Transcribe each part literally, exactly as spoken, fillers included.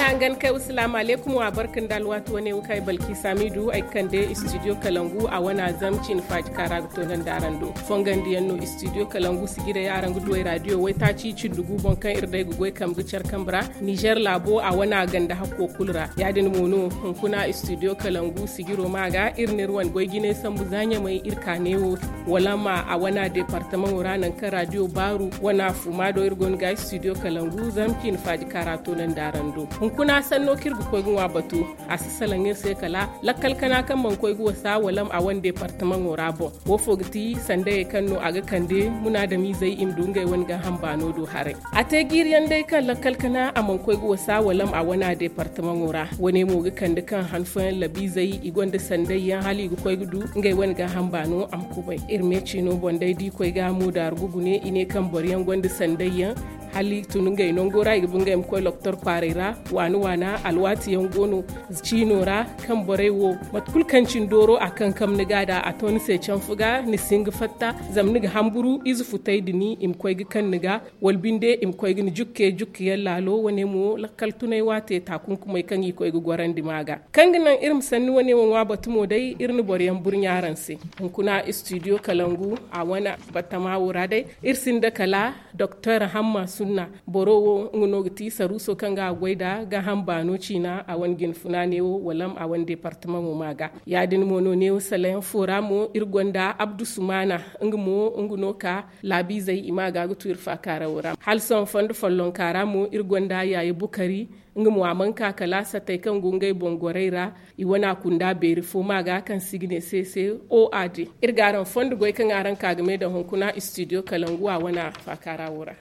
Hangan kay, wasalaamu aleykum, wa barka nda alwaati wane wo kaŋ ay balki saamidu ay ga kande studio kalangu a wana zam ciine faaji kaara ga toonandi araŋ do. Fongandiyaŋ no studio kalangu sijirey araŋ ga du ay raadiyo waytaaci cindugu boŋ kaŋ iri day ga goy kambe ga care kambe ra. Nizer laabo a wana ganda hakko kulu ra. Ya- din mo no hunkuna studio kalangu sijiro ma ga iri n'iri wane goy jinay sambu za ɲamay iri ka neewo wala ma a wana departamaŋo ra nangu kaŋ raadiyo baaru wana fuma do iri go no ga studio kalangu zam ciine faaji kaara toonandi araŋ do. Hunkuna sanno kaŋ iri ga koy ga ŋwa batu, a si salaŋ iri se kala lakkal kana kaŋ mana koy ga wasa wala ma a wane departamaŋo ra boŋ. Wo fo ga ti sandayey kaŋ no a ga kande munaadamizey i ma du ngey wane gaaham baano do haray. A te jiiriyaŋ day kaŋ lakkal kana a mana koy ga wasa wala ma a wana departamaŋo ra. Wane mo ga kande kaŋ han fooyaŋ labiizey i gonda sandayyaŋ hala i ga koy ga du ngey wane gaaham baano a ma kubay. Iri me ciino boŋ day da i koy ga moodaaru ga gune i ne kaŋ boro yaŋ gonda sandayyaŋ hala i tun ngey nango ra i ga ba ngey ma koy lokotor kwaaray ra. Waana waana alwaati yaŋ go no ciino ra kaŋ borey wo mate kulu kaŋ cine dooro a kankam ni ga da a to ni se canfu ga ni si hin ga fatta zama ni ga hamburu ize futay din i ma koy ga kaŋ ni ga wala binde i ma koy ga ni jukke jukkeyaŋ laalo wane mo lakkal tunay waate taakunkumey kaŋ i koy ga gorandi ma ga. Kaŋ ga naŋ iri ma sanni wane wo ŋwa batu mo day iri na boro yaŋ burɲa araŋ se. Hunkuna studio kalangu a wane battama wo ra day iri sinda kala doktor hamma sunna. Boro wo nga no ga ti saruuso kaŋ ga a goy nda gaaham baano ciina a wane jinfuna neewo wala a wane departamaŋo ma ga. Ya- din mo no neewo salayaŋ fo ra mo iri gonda abdu sumaana. Nga mo nga no ka laabiizey i ma ga ga tu iri faakaarawo ra hala sohõ fondo follonka ra mo iri gonda yaaye bukari. Nga mo a mana ka kala satey kaŋ go ngey boŋ gorey ra i wana kunda beeri fo ma ga kaŋ se i ga ne se se. O a din iri ga araŋ fondo goy kaŋ araŋ ka ga me daŋ hunkuna studio kalangu a wana faakaarawo ra.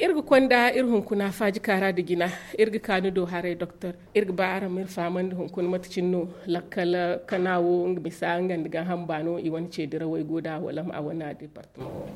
Iri ga konda iri hunkuna faaji kaara da jina. Iri ga ka ni do haray doktor iri ga ba araŋ ma iri fahamandi hunkuna mate cine no lakkal kana wo nga misa nga nda gaaham baano i wane ce dirawey go da wala ma a wane a departama wo.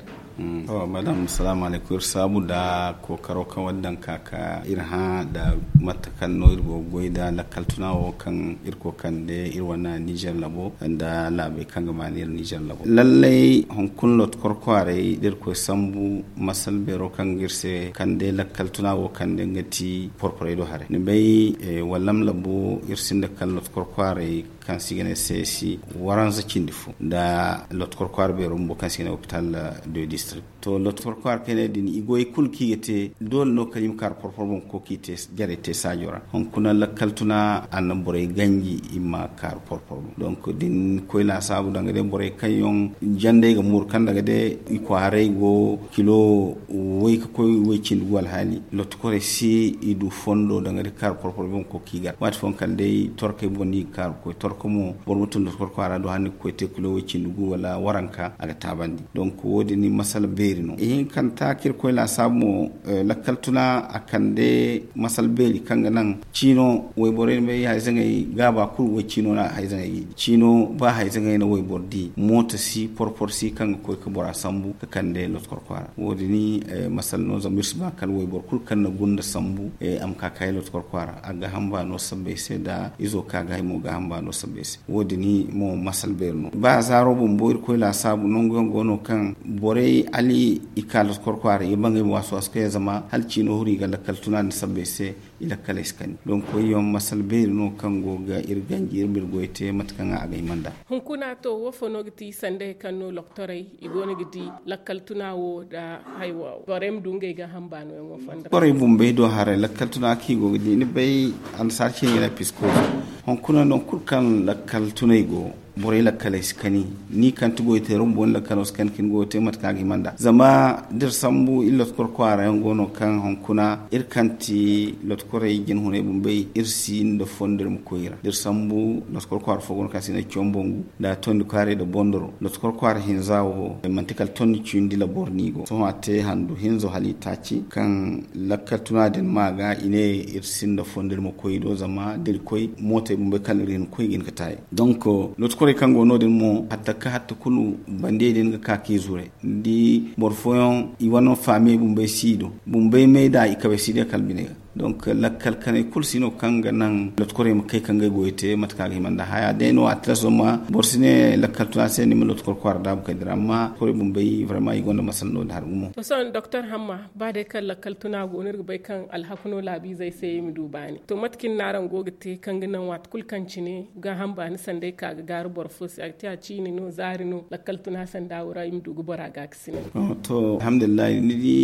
To madam salaamu alaykum iri saabu nda kookaro kaŋ wane daŋ ka ka iri hã nda mate kaŋ no iri go ga goy nda lakkal tuna wo kaŋ iri kookande iri wane nizer labo nda laabey kaŋ ga maani iri nizer labo lallay hunkuna loto korkwaarey da iri koy sambu masal beero kaŋ ga iri se kande lakkal tuna wo kande nga ti porporey do haray ni bay wallam labo iri sinda kala loto korkwaarey kaŋ se i ga ne se si waranza cindi fo nda loto korkwaara beero bumbo kaŋ se i ga ne hopital de district. To loto korkwaara kaŋ i ne din i goy kulu kaŋ i ga te doole no kaŋ i ma kaaru porporo boŋ ga koy ka i te jarey te saajo ra hunkuna lakkal tuna a na borey ganji i ma kaaru porporo boŋ. Donk da ni koy laasaabu danga day borey kaŋ yaŋ jandey ga mooru kaŋ danga day i kwaaray go kilo way ga koy way cindi gu alhaali loto korey si i du fondo danga day kaaru porporo boŋ ga koy ka i gar waati fooyaŋ kala day torkey boŋ no i ga kaaru ga koy torko mo boro ma tun loto korkwaara do hala ni ga koy te kilo way cindi gu wala waranka a ga taabandi. Donk wo- din masala beeri no ihinkanta kaŋ iri koy laasaabu mo lakkal tuna a kande masala beeri kaŋ ga naŋ ciino wayborey ni bay hayzaŋey gaaba kulu way ciino no a hayzaŋey ga i di ciino ba hayzaŋey na wayboro di mooto si porporo si kaŋ ga koy ga bora sambu ga kande loto korkwaara wo- din masala no zama iri si ba kala wayboro kulu kaŋ na gunda sambu a ma ka kaayi loto korkwaara a ga gaaham baano sabbay se nda izo ka ga hay mo gaaham baano sabbay se. Wo- din mo masala beeri no ba zaaro bumbo iri koy laasaabu nangu yaŋ go no kaŋ borey hala i ka loto korkwaara i ga ba ngey ma waasu waasu kaŋ yaŋ zama hala ciino huru i ga lakkal tuna nda sabbay se i lakkaley si kani donk koy yaŋ masala beeri no kaŋ go ga iri ganji iri ma iri goy te mate kaŋ a ga hima nda. Hunkuna to wo fo no ga ti sandey kaŋ no lokotorey i go no ga di lakkal tuna wo nda haya wo borey ma du ngey gaaham baano yaŋo fonda ra. Borey bumbey do haray lakkal tuna kaŋ i go ga di ni bay annasaara ciine ga ne piskoozo hunkuna nangu kulu kaŋ lakkal tunay go borey lakkaley si kani ni kaŋ ti goy teero bumbo ni lakkalo si kani ka ni goyo te mate kaŋ a ga hima nda zama da iri sambu iri loto korkwaara yaŋ go no kaŋ hunkuna iri kaŋ ti loto korey jinhunay bumbey iri si nda fondo iri ma koy i ra da iri sambu loto korkwaara fo go no kaŋ se i ne combongu nda tondi kwaaray nda bondoro loto korkwaara hinza wo manti kala tondi cindi labor no i go sohõ a te handu hinzo hala i taaci kaŋ lakkal tuna din ma ga i ne iri sinda fondo iri ma koy i do zama da iri koy mootey bumbey kala iri hin koy ga hin ga taayey. Donk loto korey kaŋ go no- din mo hatta ka hatta kulu bandiyey din ga ka ka i zure ni di boro fooyaŋ i wane faamiyey bumbey si i do bumbey may da i kabey si day kala biney ga. Donc lakkal kanay kulu si no kaŋ ga naŋ lotkorey ma kay ka ngey goyo te mate kaŋ a ga hima nda haya day no a tilas zama boro si ne lakkal tuna se ni ma lotkor kwaara daabu kay dira amma lotkorey bumbey vraiment i gonda masala no da har gumo. To sohõ doktor hamma, ba day kaŋ lakkal tuna go no iri ga bay kaŋ alhaku no laabiizey se i ma du baani to mate kaŋ ni na araŋ go ga te kaŋ ga naŋ waati kulu kaŋ cine gaaham baani sanday ka ga gaaru boro fo se a ga te a ciini no zaari no lakkal tuna sanda wo ra i ma du ga bora gaakasinay? To alhamdulillahi ni di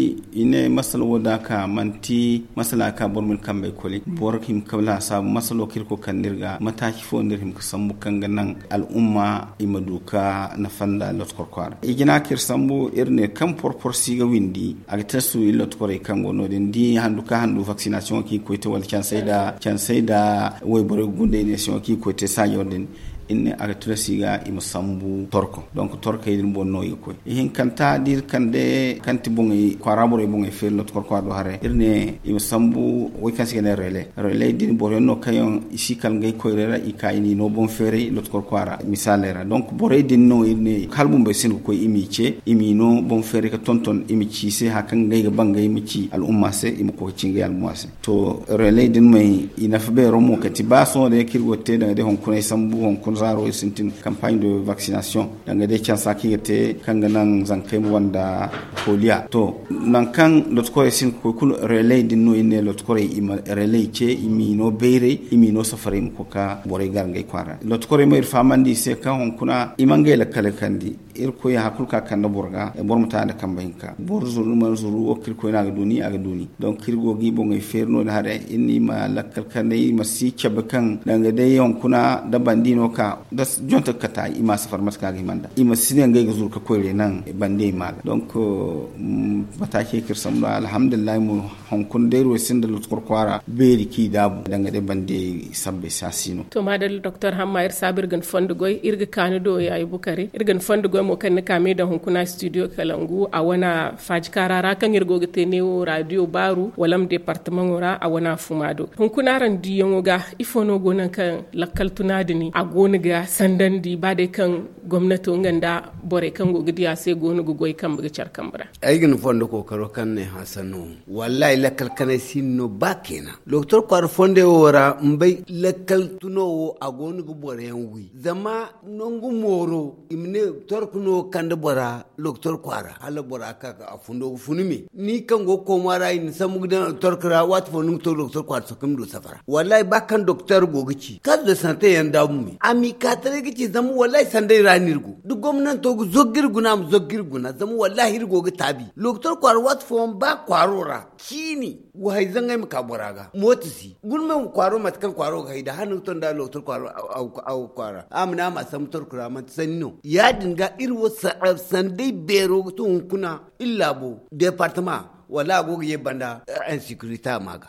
i ne masala wo da ka manti masala ka boro ma ni kambey koli boro hima ka laasaabu masalo kaŋ iri koy kande iri ga mataaci fo no iri hima ka sambu kaŋ ga naŋ al'umma i ma du ka nafa nda lotkor kwaara i jina kaŋ iri sambu iri ne kaŋ porpor si ga windi a ga te su iri lotkorey kaŋ go no- din da i handu ka handu vaccination kaŋ i ga koy te wala cansey nda wayborey gundey ne se kaŋ i ga koy te saajo din iri ne a ga tilas i ga i ma sambu torko donc torkey din boŋ no i ga koy ihinkanta da iri kande kaŋ ti boŋey kwaara borey boŋey feeri lotkor kwaara do haray iri ne i ma sambu way kaŋ se i ga ne relay relay din boro yaŋ no kaŋ yaŋ i si kala ngey koyrey ra i ka i n'i no boŋ feeray lotkor kwaara misaaley ra donc borey din no iri ne hala bumbey sinda ga koy i m'i ce i m'i no boŋ feeray ga tonton i ma ci i se hari kaŋ ngey ga ba ngey ma ci al'umma se i ma koy ga ci ngey al'umma se. To relay din may i nafa beero mo kati ba sohõ day kaŋ iri go ga te danga day hunkuna ay sambu hunkuna zaaro iri sintin campagne de vaccination danga day cansa kaŋ i ga te kaŋ ga naŋ zankey ma wanda koliya to nangu kaŋ lotokorey sinda ga koy kulu relay din no iri ne lotokorey i ma relay ce i m'i no bayray i m'i no safarey ma koy ga borey gar ngey kwaara lotokorey mo iri fahamandi i se kaŋ hunkuna i ma ngey lakkaley kandi. Irkoy hari kulu kaŋ a kande boro ga boro ma te a nda kambe hinka boro zuru mana zuru wo kaŋ irkoy no a ga du ni a ga du ni. Donc iri go ga i boŋey feeri no- din haray iri ne i ma lakkal kande i ma si cabe kaŋ danga day hunkuna da bandi no ka da jonte ga kate i ma safar mate kaŋ a ga hima nda i ma si ne ngey ga zuru ga koyray naŋ bandi ay ma ga donc mataacey kaŋ iri sambu nda alhamdulillahi mo. Hunkuna day iri wo sinda lotkor kwaara beeri kaŋ i daabu danga day bandi sabbay se a si no. To maadalla doktor hamma iri saabu iri ga ni fondo goy iri ga kaanu do yaayi bukari iri ga ni fondo goy mo kaŋ ni ka me daŋ hunkuna studio kalangu a wane faaji kaara ra kaŋ iri go ga te neewo raadiyo baaru wala ma departamaŋo ra a wane fuma do. Hunkuna araŋ diiyaŋo ga ifo no go naŋ kaŋ lakkal tuna din a go no ga sandandi ba day kaŋ gomnato nga nda borey kaŋ go ga di a se go no ga goy kambe ga care kambe ra? Ay ga ni fondo kookaro kaŋ ne hã sanno. Wallahi lakkal kanay si no ba keena lokotor kwaara fondey wo ra mbay lakkal tuno wo a go no ga boro yaŋ wi zama nangu mooro i ma ne torku no kande bora lokotor kwaara hala bora ka a fundo ga funu me ni kaŋ go ga kooma ra i na sambu ga daŋ torku ra waati fo ni ga to lokotor kwaara sohõ kaŋ ni du safara wallahi ba kaŋ doktor go ga ci kaŋ de sante yaŋ daabu me a m'i ka taray ga ci zama wallahi sanday ra no iri go da gomnanto ga zogga iri guna a ma zogga iri guna zama wallahi iri go ga taabi lokotor kwaara waati fooyaŋ ba kwaaro ra ciini. Wa hay zaŋ ay ma ka bora ga mooto si guna me kwaaro mate kaŋ kwaaro ga hay da hala ni ga to nda lokotor kwaaro a ga kwaara a ma ne a ma a sambu torku ra manti sanni no ya- din ga iri wo sanday beero ga to hunkuna iri laabo departama wala a go ga ye banda. Insecurité a ma ga.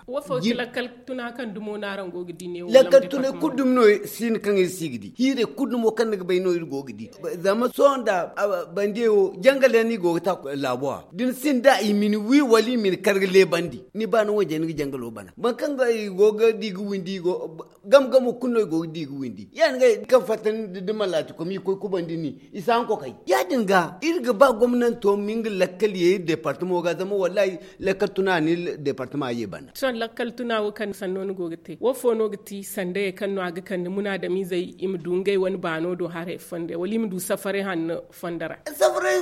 Lakkal tunay kulu dumi no si no kaŋ iri si ga di hiirey kulu dumo kaŋ ni ga bay no iri go ga di. Zama sohõ nda bande wo jangal yaŋ no i go ga ta laabo ra da ni sinda i ma ni wi wala i ma ni kar ga leebandi ni ba ni wanje ni ga jangalo bana boro kaŋ ga i go ga di ga windi i go game game kulu no i go ga di ga windi ya- din ga kaŋ fatta ni da malaati kom i koy kubandi ni i si haŋ kokay ya- din ga iri ga ba gomnanto ma nga lakkal ye iri departamo ga zama wallahi lakkal tuna ni departama ye bana. Sohõ lakkal tuna wo kaŋ sanno ni go ga te wo fo no ga ti sandayey kaŋ no a ga kande munaadamiizey i ma du ngey wane baano do haray fonda wala i ma du safaray hanno fonda ra? Safaray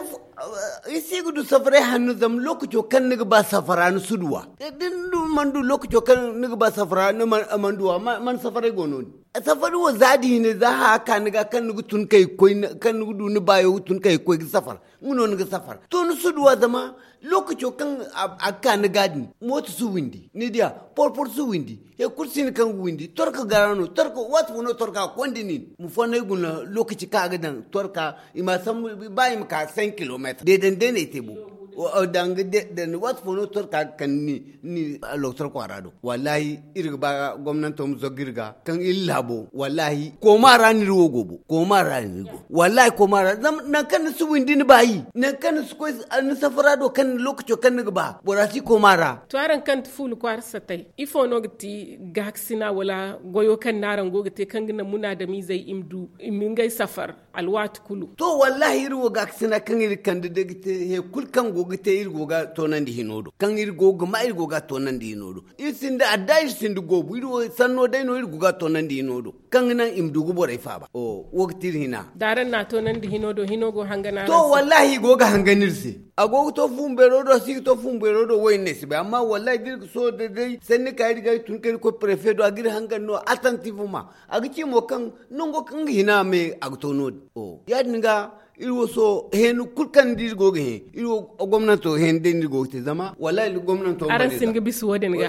i si ga du safaray hanno zama lookaco kaŋ ni ga ba safara ni si duw'a da ni mana du lookaco kaŋ ni ga ba safara ni mana duw'a mana safaray go no-din. Safari wo za da hine za haya ka ni ga kaŋ ni ga tun kay ga koy kaŋ ni ga du ni baayo ga tun kay ga koy ga safar nga no ni ga safar to ni si duw'a zama lookaco kaŋ a ga ka ni ga din mooto si windi ni diya porpor si windi. Hari kulu si no kaŋ ga windi torka gara no torka waati fo no torka ga konda nin ma fonnay guna lookaci kaŋ a ga daŋ torka i ma sambu ba i ma ka cinq kilometre deedandi day no ay te bo. Danga waati fo no torka ga kande ni ni lokotor kwaara do wallahi iri ga ba gomnanto ma zogga iri ga kaŋ iri laabo wallahi kooma ra no iri wo go bo kooma ra no iri go wallahi kooma ra zama nangu kaŋ ni si windi ni baayi nangu kaŋ ni si koy ni safara do kaŋ lookaco kaŋ ni ga ba bora si kooma ra. To araŋ kaŋ ti fuula kwaara satay ifo no ga ti gaakasina wala goyo kaŋ no araŋ go ga te kaŋ ga naŋ munaadamiizey i ma du i ma ngey safar alwaati kulu? To wallahi iri wo gaakasina kaŋ iri kande day ga te hari kulu kaŋ go ga te iri go ga toonandi hino do kaŋ iri go ga ma iri go ga toonandi hino do. Iri sinda adda iri sinda goobu iri wo sanno day no iri go ga toonandi hino do kaŋ ga naŋ i ma du ga borey faaba. Wo ga ti iri hina. Da araŋ na a toonandi hino do hino go hangana to wallahi i go ga hangan iri se. A go ga to fumbeero do si ga to fumbeero do wo iri ne si bay amma wallahi da iri ga sohõ day day sanni ka iri ga iri tun ka iri koy prefe do a ga iri hangan no attentivement. A ga ci mo kaŋ nango kaŋ ga hina me a ga to no- din ya- din ga iri wo sohõ heeni kulu kaŋ da iri go ga hẽ iri wo gomnanto heeni day no iri go ga te zama wallahi gomnanto araŋ si hin ga bisa wo- din ga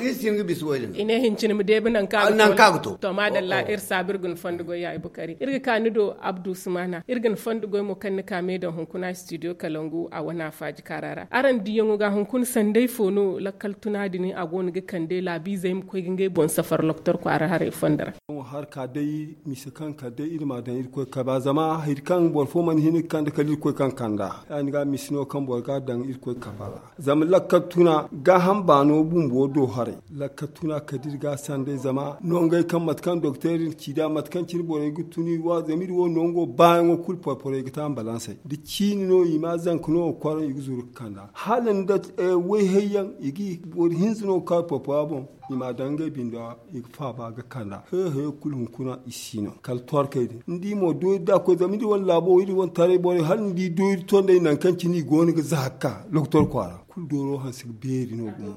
i ne hincine ma deebi nangu kaŋ a ga to. To maadalla iri saabu iri ga ni fondo goy ya i bukari iri ga ka ni do abdu sumana iri ga ni fondo goy mo kaŋ ni ka me daŋ hunkuna studio kalangu a wane afaaji kaara ra araŋ diyaŋo ga hunkuna sanday fo no lakkal tuna din a go no ga kande laabiizey ma koy ga ngey boŋ safar loktor kwaara haray fondo ra. Ka day mise kaŋ kala day iri ma a daŋ irkoy kaba zama hari kaŋ boro fo mana hin ga kande kala irkoy kaŋ kanda ya- din ga mise no kaŋ boro ga a daŋ irkoy kaba ra. Zama lakkal tuna gaaham baano bumbo do haray. Lakkal tuna kala da iri ga a sanday zama nongey kaŋ mate kaŋ doktor iri ci nd'a mate kaŋ cine borey ga tun i wa zama iri wo nongo baayaŋo kulu porporey ga te ambalansey da ciini no i ma zanka no ga kwaraŋ i ga zuru ga kand'a hala nda wayhayyaŋ i ga boro hinza no ga ka porpora boŋ. I m'a daŋ ngey bindo ra i ga faaba ga kand'a. Hayo hayo kulu hunkuna i si no kala torkey din ni di mo doori da a koy zama iri wane laabo iri wane taray borey hala ni di doori tondey nangu kaŋ cine i go no ga za ga ka loktor kwaara kulu dooro hanse ga beeri no gumo.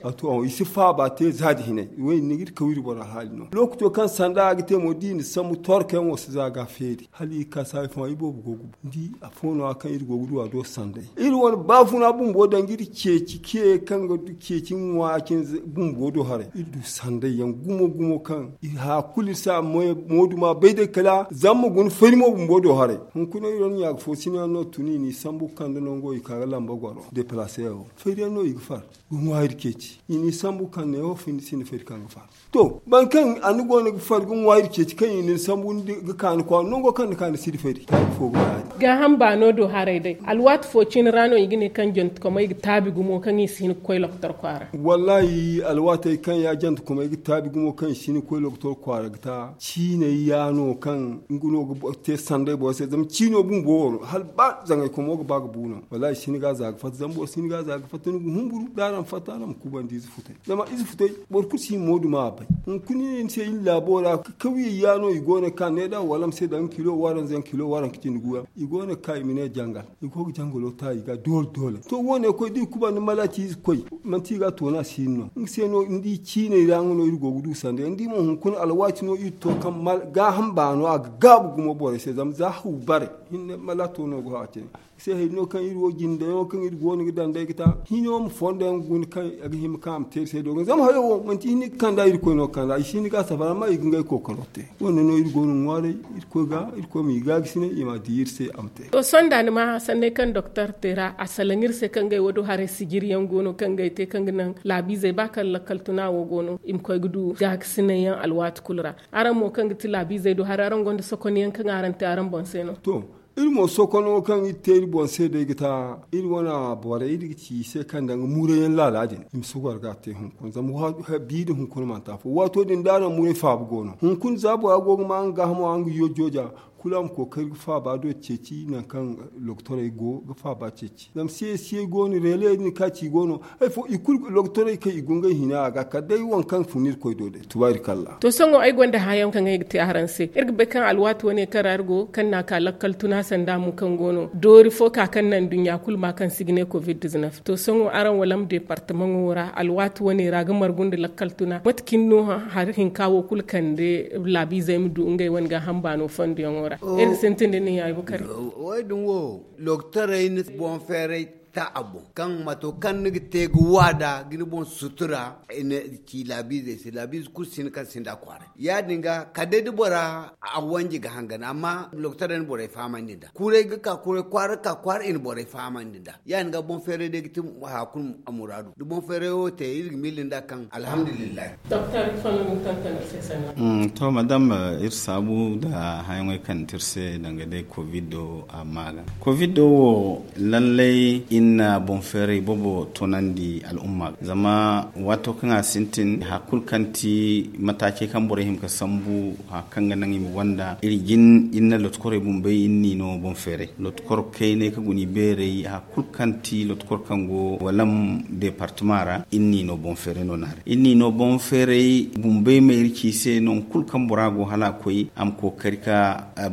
A to i si faaba te za da hinay. Wo- din ni ga iri kaw iri boro alhaali no lookaco kaŋ sanda a ga te mo da i na sambu torkey yaŋo si za ga feeri hala i ga ka saayi fo i boobo go ga bu ni di afo no- ya kaŋ iri go ga du a do sanday. Iri wane baafuna bumbo danga iri ceeci ke kaŋ ga du ceeci ŋwa cine bumbo do haray iri du sanday yaŋ gumo gumo kaŋ iri haya kulu iri si a moodu ma bay day kala zama ma guna fari mo bumbo do haray. Hunkuna iri wane ɲaaka fo sina yaŋ no tun i n'i sambu ga kande nango i ka ga lamba goro deplace yaŋ wo fari yaŋ no i ga far ga ŋwa iri ceeci i n'i sambu ga kande neewo findi sinda fari kaŋ ga far. To boro kaŋ a ni go no ga far ga ŋwa iri ceeci kaŋ i na ni sambu ga ka ni kwaara nango kaŋ ni ka ni si di fari taabi fo ga ba ya- din. Gaaham baano do haray day alwaati fo cine ra no i ga ne kaŋ jantekomey ga taabi gumo kaŋ i si hin ga koy loktor kwaara. Wallahi alwaatey kaŋ ya jantekomey ga taabi gumo kaŋ i si hin ga koy loktor kwaara ga ta ciiney ya no kaŋ nga no ga te sanday boro se zama ciino bumbo wo no hala ba zaŋaykomo ga ba ga bu no wallahi i si hin ga a za ga fatta zama boro si hin ga a za ga fatta ni ga humburu da araŋ fatta araŋ ma kubandi ize futay. Zama ize futay boro kulu si hin moodu ma a bay. Hunkuna i ne ni se iri laabo ra kawiyey ya no i go no ga ka needa wala ma se daŋ kilo waranza yaŋ kilo waranka cindi gu yaŋ i go no ga ka i ma ne jangal i go ga jangalo ta i ga doole doole to wo- ne koy da i kubandi malaati ize koy manti i ga a toona si hin no nga se no ni di ciiney ra nga no iri go ga du sanda yaŋ ni di mo hunkuna alwaati no iri to kaŋ gaaham baano a ga gaabu gumo borey se zama za haw bare hinne malaato no ga haw a cine. Se hari no kaŋ iri wo jindayaŋo kaŋ iri go no ga daŋ day ga ta hino ma fondo yaŋ guna kaŋ a ga hima kaŋ a ma te iri se dogon zama hayo wo manti hini ga kanda irkoy no ga kanda i si hini ga a safara amma i ga ngey kookaro te. Wande no iri go no ga ŋwaaray irkoy ga irkoy ma i gaagasinay i ma a di iri se a ma te. To sonda ni ma sanney kaŋ doktor te ra a salaŋ iri se kaŋ ngey wo do haray sijiri yaŋ go no kaŋ ngey te kaŋ ga naŋ laabiizey ba kaŋ lakkal tuna wo go no i ma koy ga du gaagasinay yaŋ alwaati kulu ra. Araŋ mo kaŋ ga ti laabiizey do haray araŋ gonda sokonyaŋ kaŋ araŋ te araŋ boŋ se no. To iri mo sokono kaŋ iri te iri boŋ se day ga ta iri wane borey iri ga ci i se kaŋ danga muurayaŋ laala din i ma si goro ga a te hunkuna zama biiri hunkuna manti afo waato din da araŋ muray faabu go no hunkuna za bora go ga ma nga gaahamo a nga yo jooja kulu a ma kookari ga faaba do ceeci nangu kaŋ lokotorey go ga faaba ceeci zama siyey siyey go no reeley din kaŋ a ci go no. Hari fo i kulu lokotorey kaŋ i go ngey hina a ga kala day waŋ kaŋ fun irkoy do day tuba iri kalla. To sohõ ay gonda hãayaŋ kaŋ ay ga te araŋ se iri ga bay kaŋ alwaati wane kaŋ ra iri go kaŋ n'a ka lakkal tuna sanda mo kaŋ go no doori fo ka kaŋ naŋ duɲɲa kulu ma kaŋ se i ga ne covid diznef to sohõ araŋ walam departamaŋo ra alwaati wane ra ga margu nda lakkal tuna mate cine no hari hinka wo kulu kande laabiizey ma du ngey wane gaaham baano fondoyaŋo ra. Iri ga sintin da nin yaay bukari. Wo- din wo doktorey ni boŋ feeray ta a boŋ kaŋ mato kaŋ ni ga te ga waada ga ni boŋ sutura. Ci laabiizey se laabiize kulu sinda kaŋ sinda kwaaray ya- din ga kala day da bora a wanji ga hangan amma lokotorey na borey fahamandi nd'a kuray ga ka kuray kwaara ga ka kwaara i na borey fahamandi nd'a. Ya- din ga boŋ feeray day ga ti haya kulu a muraadu da boŋ feeray wo te iri ga miila nd'a kaŋ alhamdulillahi. To madam, iri saabu nda hããyaŋey kaŋ ni te iri se danga day covid do a maaga covid do wo lallay. na boŋ feeray boobo toonandi al'umma ga. Zama waato kaŋ a sintin hari kulu kaŋ ti mataacey kaŋ borey hima ga sambu hari kaŋ ga naŋ i ma gonda iri jin iri na lotokorey bumbey iri n'i no boŋ feeray lotokorey kaŋ i guna i beeray hari kulu kaŋ ti lotokorey kaŋ go walam deepartama ra iri n'i no boŋ feeray no naarey iri n'i no boŋ feeray bumbey ma iri ci i se nangu kulu kaŋ bora go hala a koy a ma kookari ka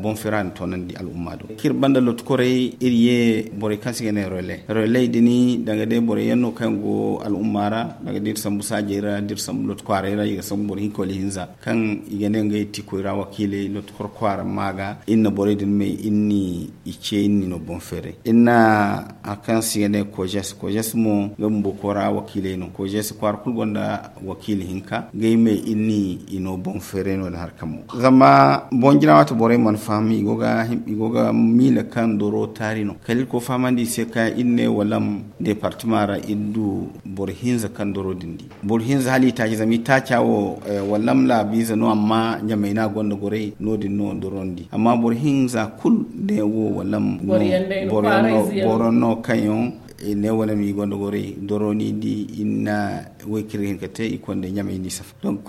boŋ feera na toonandi al'umma do kaŋ iri banda lotokorey iri ye borey kaŋ se i ga ne relais relais din danga day borey yaŋ no kaŋ yaŋ go al'umma ra danga da iri sambu saajey ra da iri sambu loto kwaaray ra i ga sambu boro hinka wala ihinza kaŋ i ga ne ngey ti koyra wakiiley lotokor kwaara ma ga iri na borey din may iri n'i ce iri n'i no boŋ feeray iri na hari kaŋ se i ga ne kojes kojes mo ngey bumbo kwaara wakiiley no kojes kwaara kulu gonda wakiili hinka ngey me iri n'i no boŋ feeray no- din hari kaŋ mo zama boŋ jina waati borey mana faham i go ga miila kaŋ doro taari no kala iri koy fahamandi i se kaŋ iri ne walam deepartama ra iri du boro hinza kaŋ doro din di boro hinza hala i taaci zama i taaca wo walam laabiize no amma ɲamay no a gonda gorey no- din no doro ni di amma boro hinza kulu ne wo walam no boro yaŋ no kaŋ yaŋ i ne wane no i gonda gorey doro ni di i na way kaŋ iri ga hin ka te i konda ɲamay ni safa donk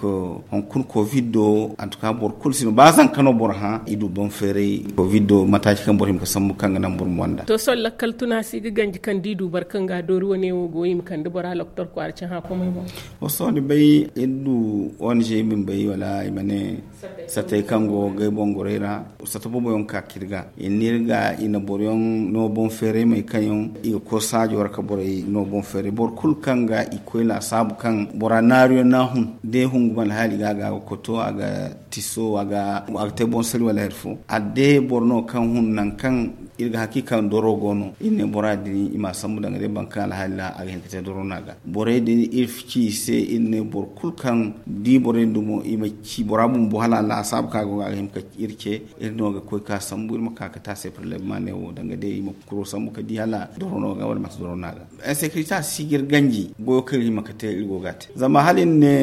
hunkuna kovid do antuka boro kulu si no ba zanka no boro hã i du boŋ feeray kovid do mataaci kaŋ boro hima ga sambu kaŋ ga naŋ boro ma wanda to sohõ lakkal tuna si ga ganji kaŋ da i du boro kaŋ ga a doori wane wo go i ma kande bora loktor kwaara cahã komey boŋ wo sohõ ni bay iri du ong i ma ni bay wala i ma ne satey kaŋ go gay boŋ gorey ra sata boobo yaŋ ka ka iri ga i na iri ga i na boro yaŋ no boŋ feeray may kaŋ yaŋ i ga koy saajo ra ka borey no boŋ feeray boro kulu kaŋ ga i koy laasaabu kaŋ bora naaru yaŋ no a hun da i hungu ma alhaali ga a ga koto a ga tiso a ga te boŋ sari wala hari fo a day boro no kaŋ hun nangu kaŋ iri ga hakiika doro go no iri ne bora din i ma a sambu danga day boro kaŋ alhaali ra a ga hin ka te doro no a ga borey din iri ci i se iri ne boro kulu kaŋ di borey din dumo i ma ci bora bumbo hala laasaabu kaŋ a go ga a ga hin ka iri ce iri no ga koy ka sambu iri ma ka ga te a se parlema ne wo danga day i ma kuro sambu ka di hala doro no ga wala manti doro no a ga insekirita si ga iri ganji goyo kaŋ iri hima ga te iri go ga a te zama hala iri ne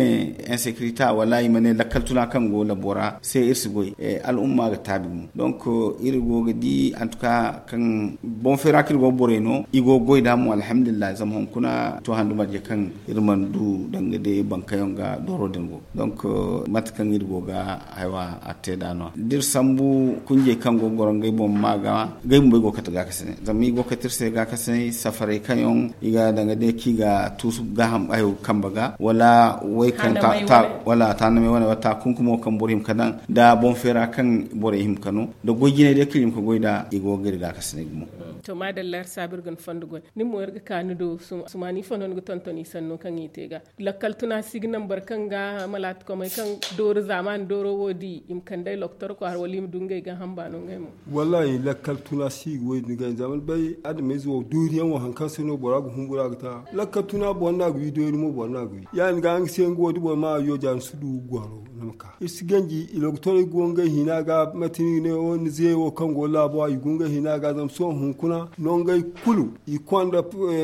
insekirita wala i ma ne lakkal tuna kaŋ go labo ra se iri si goy al'umma ga taabi gumo donk iri go ga di antuka kaŋ boŋ feera kaŋ iri go ga borey no i go ga goy nd'a mo alhamdulillahi zama hunkuna to handu marje kaŋ iri mana du danga day bankayaŋ ga dooro din go donk mate kaŋ iri go ga haywa a te nd'a no- ya da iri sambu kunjey kaŋ go ga goro ngey boŋ ma ga ngey bumbey go ga kate gaakasinay zama i go ga kate iri se gaakasinay safaray kaŋ yaŋ i ga danga day kaŋ i ga tuusu gaaham hayo kambe ga wala way kaŋ ta ta wala taanamey wane wala taakunkumo kaŋ boro hima ga daŋ nda boŋ feera kaŋ borey hima ga no nda goy jinay day kaŋ iri hima ga goy nd'a i go ga iri gaakasinay gumo to maadalla iri saabu iri ga ni fondo goy nin mo iri ga ka ni do sumaani ifo no ni ga tonton i sanno kaŋ i te ga lakkal tuna si ga naŋ boro kaŋ ga malaati komey kaŋ doori zaamaani dooro wo di i ma kand'ey loktor kwaara wala i ma du ngey ga hamba no ngey mo wallaahi lakkal tuna si ga wo- din ga zama ni bay adameyze wo dooriyaŋ wo hari kaŋ se no bora ga humbura ga ta lakkal tuna boro no a ga wi doori mo boro no a ga wi ya- din ga nga se nga wo da boro ma a yo ja ni si du goro ni ma ka iri si ganji i loktorey go ngey hina ga mate no i ga ne wo ni ze wo kaŋ go laabo ra i go ngey hina ga zama sohõ hunkuna no ngey kulu i konda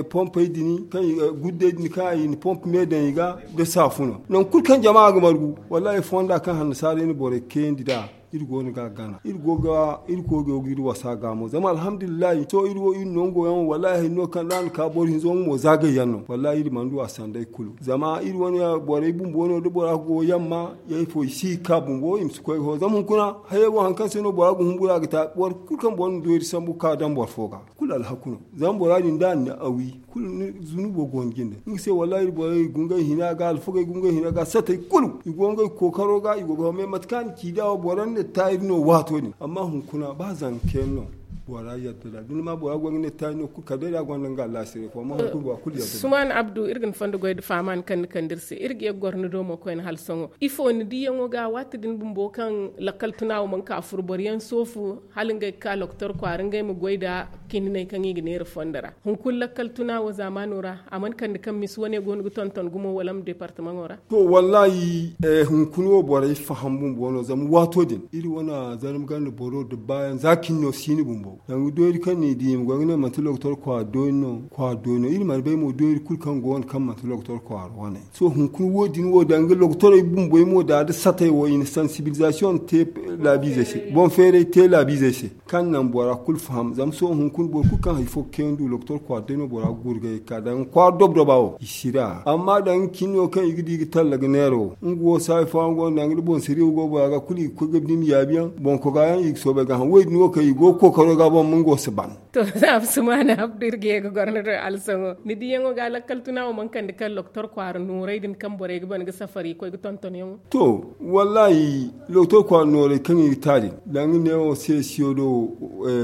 pompey din kaŋ guddey din kaŋ i na pompe me daŋ i ga nda saafuno nangu kulu kaŋ jama ga margu wallaahi fonda kaŋ hannasaarey na borey kayandi nd'a iri go no ga a gana iri go ga iri koy go ga iri wasa ga mo zama alhamdulillahi sohõ iri wo iri nango yaŋ wallaahi hari no kaŋ da a na ka boro hinzo nga mo zaagay yaŋ no wallaahi iri mana du a sanday kulu zama iri wane borey bumbo no da bora go yamma ya ifo i si ga ka bumbo i ma si koy ga ho zama hunkuna hayey wo hari kaŋ se no bora ga humbura ga ta boro kulu kaŋ boro na doori sambu ga ka daŋ boro fo ga kulu alhaku no zama bora din da a na a wi kulu zunubo go ni jinde nga se wallaahi iri borey i go ngey hina ga alfagey i go ngey hina ga satey kulu i go ngey kookaro ga i go ga home mate kaŋ a na ci nd'a wo boro na ta iri no waato din amma hunkuna ba zanka yaŋ no bora yadda nd'a da ni ma bora go ga ne ta iri no kulu kala day da a gonda nga allaasiray fo amma hunkuna bora kulu yadda nd'a suman abdu iri ga ni fondo goy nda faaman kaŋ ni kande iri se iri ga ye ga goro ni do mo koyne hala sohõ ifo ni diyaŋo ga waati din bumbo kaŋ lakkal tuna wo mana ka furo boro yaŋ soofu hala ngey ga ka loktor kwaara ngey ma goy nda kininey kaŋ i ga neera fondo ra hunkuna lakkal tuna wo zaamaano ra a mana kande kaŋ misi wane go no ga tonton gumo wala ma deepartamaŋo ra to wallaahi hunkuna wo borey faham bumbo no zama waato din iri wane zarma ganda boro da baayaŋ za cin no si ni bumbo Danga doori kaŋ ni di i ma goy ga ne manti lokotor kwaara doori no kwaara doori no iri mana bay mo doori kulu kaŋ go wane kaŋ manti lokotor kwaara wane. Sohõ hunkuna wo- din wo danga lokotorey bumboy mo da da satey wo i na sansibilizasiyoŋ te laabiizey se boŋ feeray te laabiizey se, kaŋ naŋ bora kulu faham zama sohõ hunkuna boro kulu kaŋ hari fo ga kayandi lokotor kwaara day no bora ga gurgay ga ka danga kwaara dob-doba wo i si ra amma danga cin no kaŋ i ga di ga talla ga neera wo nga wo saayi fo araŋ go no danga da boŋ sariya wo go bora ga kulu i ga koy ga bini yaabi yaŋ boŋ koga yaŋ i ga soobay ga haŋ wo- din wo kaŋ i go ga kookaro ga boŋ ma nga wo si ban. To za a bi sumaana abdu iri ga ye ga goro ni do alsaŋo ni diyaŋo ga lakkal tuna wo mana kande kaŋ lokotor kwaara nooray din kaŋ borey ga ban ga safari ga koy ga tonton yaŋo. To, wallahi lokotor kwaara nooray kaŋ i ga ta din danga neewo se siyo do.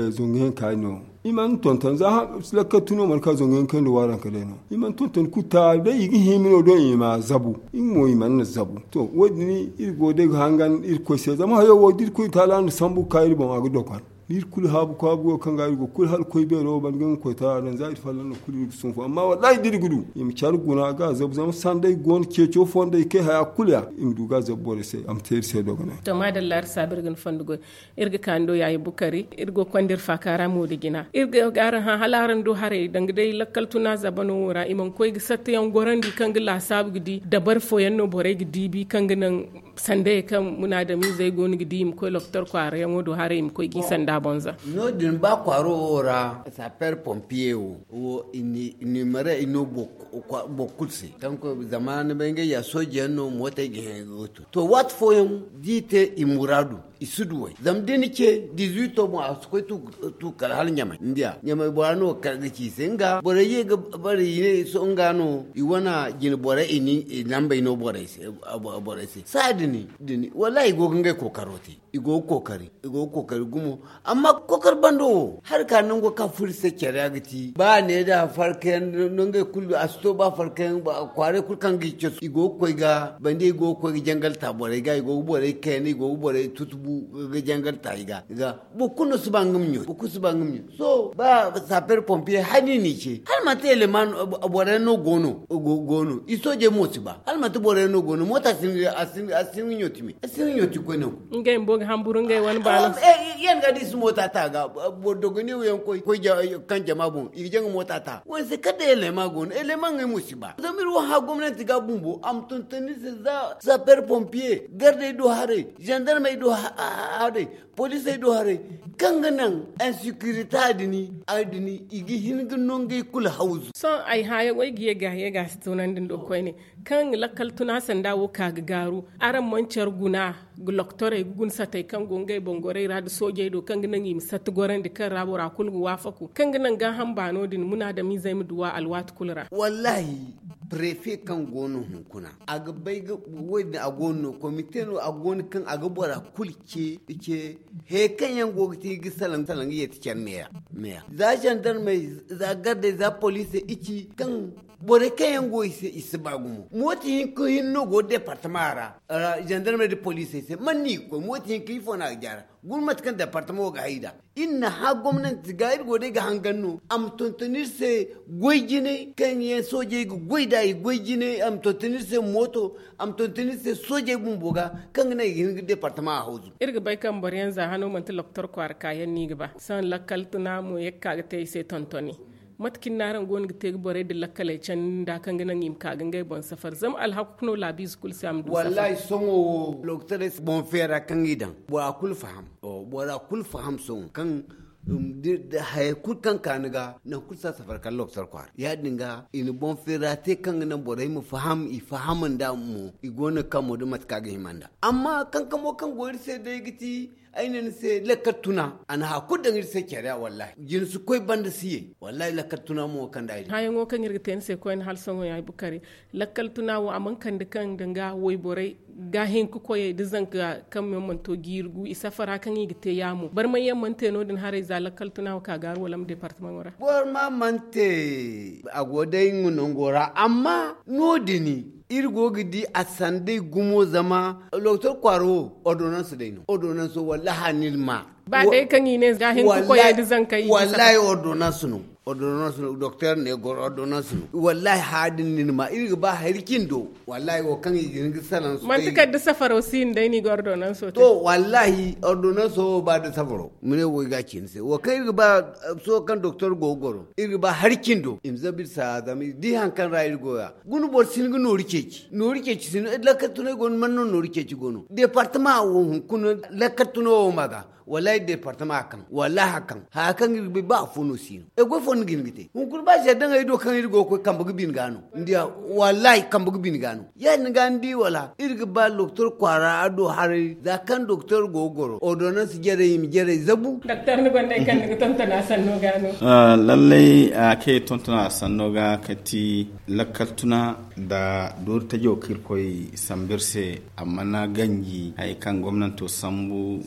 Zangu yaŋ ka no i mana tonton za lakkal tuno mana ka zangu yaŋ kaŋ da waaranka day no i mana tonton kulu ta day i ga hima no do i ma zabu. Nga mo i mana zabu to wo- din iri go day ga hangan irkoy se zama hayo wo da irkoy taala na sambu ga ka iri boŋ a ga dokon. Iri kulu haabu kwaabu go kaŋ ga iri go kulu hala koy beero wo banda ga nga koy tara daŋ za iri fallan no kulu iri ga sunfu amma wallahi da iri ga du i ma care guna ga zabu zama sanday go no ceeco fondey kay haya kulu ya i ma du ga zabu borey se a ma te iri se dogonay. To maadalla iri saabu iri ga ni fondo goy. Iri ga kaani do yaayi bukari iri go ga konda iri faaka ra mo da jina iri ga ga araŋ hã hala araŋ du haray danga day lakkal tuna zabano wo ra i mana koy ga satta yaŋ gorandi kaŋ ga laasaabu ga di dabari fooyaŋ no borey ga diibi kaŋ ga naŋ sandayey kaŋ munaadamiizey go no ga di i ma koy lokotor kwaara yaŋo do haray i ma koy ga i sanda boŋ za. No- din ba kwaaro wo ra saper pompiye wo wo i ni mare i no boro kulu se kaŋ koy zama ni bay ngey ya sooje yaŋ no mootey ga hẽ ga go to to waati fooyaŋ da i te i muraadu i si du way zama da ni ce dizuwito boŋ a si koy tu kala hala ɲamay ni diya ɲamay bora no kar ga ci i se nga borey ye ga bare i ne sohõ nga no i wane jine borey i lambey no borey se. Saaya din wallahi i go ga ngey kookaro te i go ga kookari i go ga kookari gumo. Amma kookari bando wo hari ka nango kaŋ furo iri se care ya ga ti ba ne da farkayaŋ no ngey kulu a si to ba farkayaŋ kwaarey kulu kaŋ ga i casu i go ga koy ga bande i go ga koy ga jangal ta borey ga i go ga borey kayna i go ga borey tutubu ga jangal ta i ga. Boro kulu no si ba nga ma ɲo boro kulu si ba nga ma ɲo sohõ ba saper pompiye hani ni ce hala manti eleman boro yaŋ no go no i soojey mo si ba hala manti boro yaŋ no go no moota a si hin ga ɲo timi a si hin ga ɲo ti koy nangu. Ngey bumbo ga hamburu ngey wane baano. Yaŋ ga da i si moota ta ga boro dogoniyaŋ koy kaŋ jama boŋ i ga jaŋ ga moota ta wane se kala day eleman go no eleman ngey mo si ba zama iri wo hã gomnanti ga bumbo a ma tonton iri se za saper pompiye gardey do haray zandarmey do haray poliisey do haray kaŋ ga naŋ insekirita din i ga hin ga no ngey kulu hawzu. Sohõ ay hãyaŋo ay ga ye ga ye ga a si tunandi ndo koyne kaŋ lakkal tuna sanda wo ka ga gaaru araŋ mana care guna ga loktorey ga guna satey kaŋ go ngey boŋ gorey ra nda soojey do kaŋ ga naŋ i ma satta gorandi kaŋ ra bora kulu ga waafaku kaŋ ga naŋ gaaham baano din munaadamiizey ma duw'a alwaati kulu ra. Wallahi prefe kaŋ go no hunkuna a ga bay ga wo- din a go no no komite no a go no kaŋ a ga bora kulu ce ce he kaŋ yaŋ go ga ti ga salaŋ ga yeeti care meeya. Za zandarmey za gardey za poliisey i ci kaŋ borey kaŋ yaŋ go i se i si ba gumo mooti hinka hinne no go departama ra. Zandarmey nda poliisey se man no i ga koy mooti hinka ifo no a ga jaara guna mate kaŋ departama wo ga hay nd'a. Iri na hã gomnanti ga iri go day ga hangan no a ma tonton iri se goy jinay kaŋ yaŋ soojey ga goy nd'a i goy jinay a ma tonton iri se mooto a ma tonton iri se soojey bumbo ga kaŋ ga naŋ i ga hin ga departama a hawzu. Iri ga bay kaŋ boro yaŋ za hano manti loktor kwaara kaayaŋ no i ga ba sohõ lakkal tuna mo ye ga ka ga te i se tontoni. Mate kaŋ ni na araŋ go no ga te ga borey din lakkaley candi nda kaŋ ga naŋ i ma ka ga ngey boŋ safar zama alhaku no laabiize kulu se a ma du safar. Wallahi sohõ wo loktorey se boŋ feera kaŋ i daŋ bora kulu faham bora kulu faham sohõ kaŋ haya kulu kaŋ ka ni ga nangu kulu si a safar kala loktor kwaara ya- din ga i na boŋ feera te kaŋ ga naŋ borey ma faham i faham nd'a mo i go no ga kamo nda mate kaŋ a ga hima nd'a. Amma kankamo kaŋ go iri se day ga ti ay ne ni se lakkal tuna a na haya kulu daŋ iri se care ra wallahi jina si koy banda si ye. Wallahi lakkal tuna mo ga kand'a iri. Hayaŋo kaŋ iri ga te ni se koyne hala sohõ ya ay bukari lakkal tuna wo a mana kande kaŋ danga wayborey ga hin ga koyey da zanka kaŋ yaŋ mana to jiiri gu i safara kaŋ i ga te yaamo barmay yaŋ mana te no- din haray za lakkal tuna wo ka gaaru wala ma departamaŋo ra. Boro ma mana te a go day nga nango ra amma no- din iri go ga di a sanday gumo zama loktor kwaara wo ordonanso day no ordonanso wallahi a na iri ma. Ba day kaŋ i ne ga hin ka koyey da zankey i ga saka. Wallahi ordonnance no. Ordonnance no doktor ne goro ordonnance no. Wallahi haadin ni ma iri ga ba hari cindo. Wallahi wo kaŋ i ga hin ga salan su manti kala da safaro si hin day ni ga ordonnance te. To wallahi ordonnance wo ba da safaro mine wo i ga cin se wo kaŋ iri ga ba. So kaŋ doktor go goro iri ga ba hari cindo i ma zabi sa zama i di hari kaŋ ra iri go ya. Guna boro si hin ga noori ceeci noori ceeci si hin lakal tunay go no man no noori ceeci go no departement wo hunkuna. Lakal tuno wo ma ga wallahi departement a kaŋ wallahi a kaŋ haya kaŋ iri ga bay ba afo no si no. E goy fo ni ga hin ga te hunkuna ba se daŋ ay do kaŋ iri go ga koy kambe ga bin ga no. Ni diya wallahi kambe ga bin ga no. Ya- din ga ni di wala iri ga ba doktor kwaara a do haray za kaŋ doktor go ga goro ordonnance jarey i ma jarey zabu. Doktor ni gonda ay kaŋ ni ga tontona sanno ga no. Lallai a kay tontona sanno ga kati lakkaltuna da doori tajo kaŋ iri koy sambu iri se. Amma na ganji hari kaŋ gomnanto sambu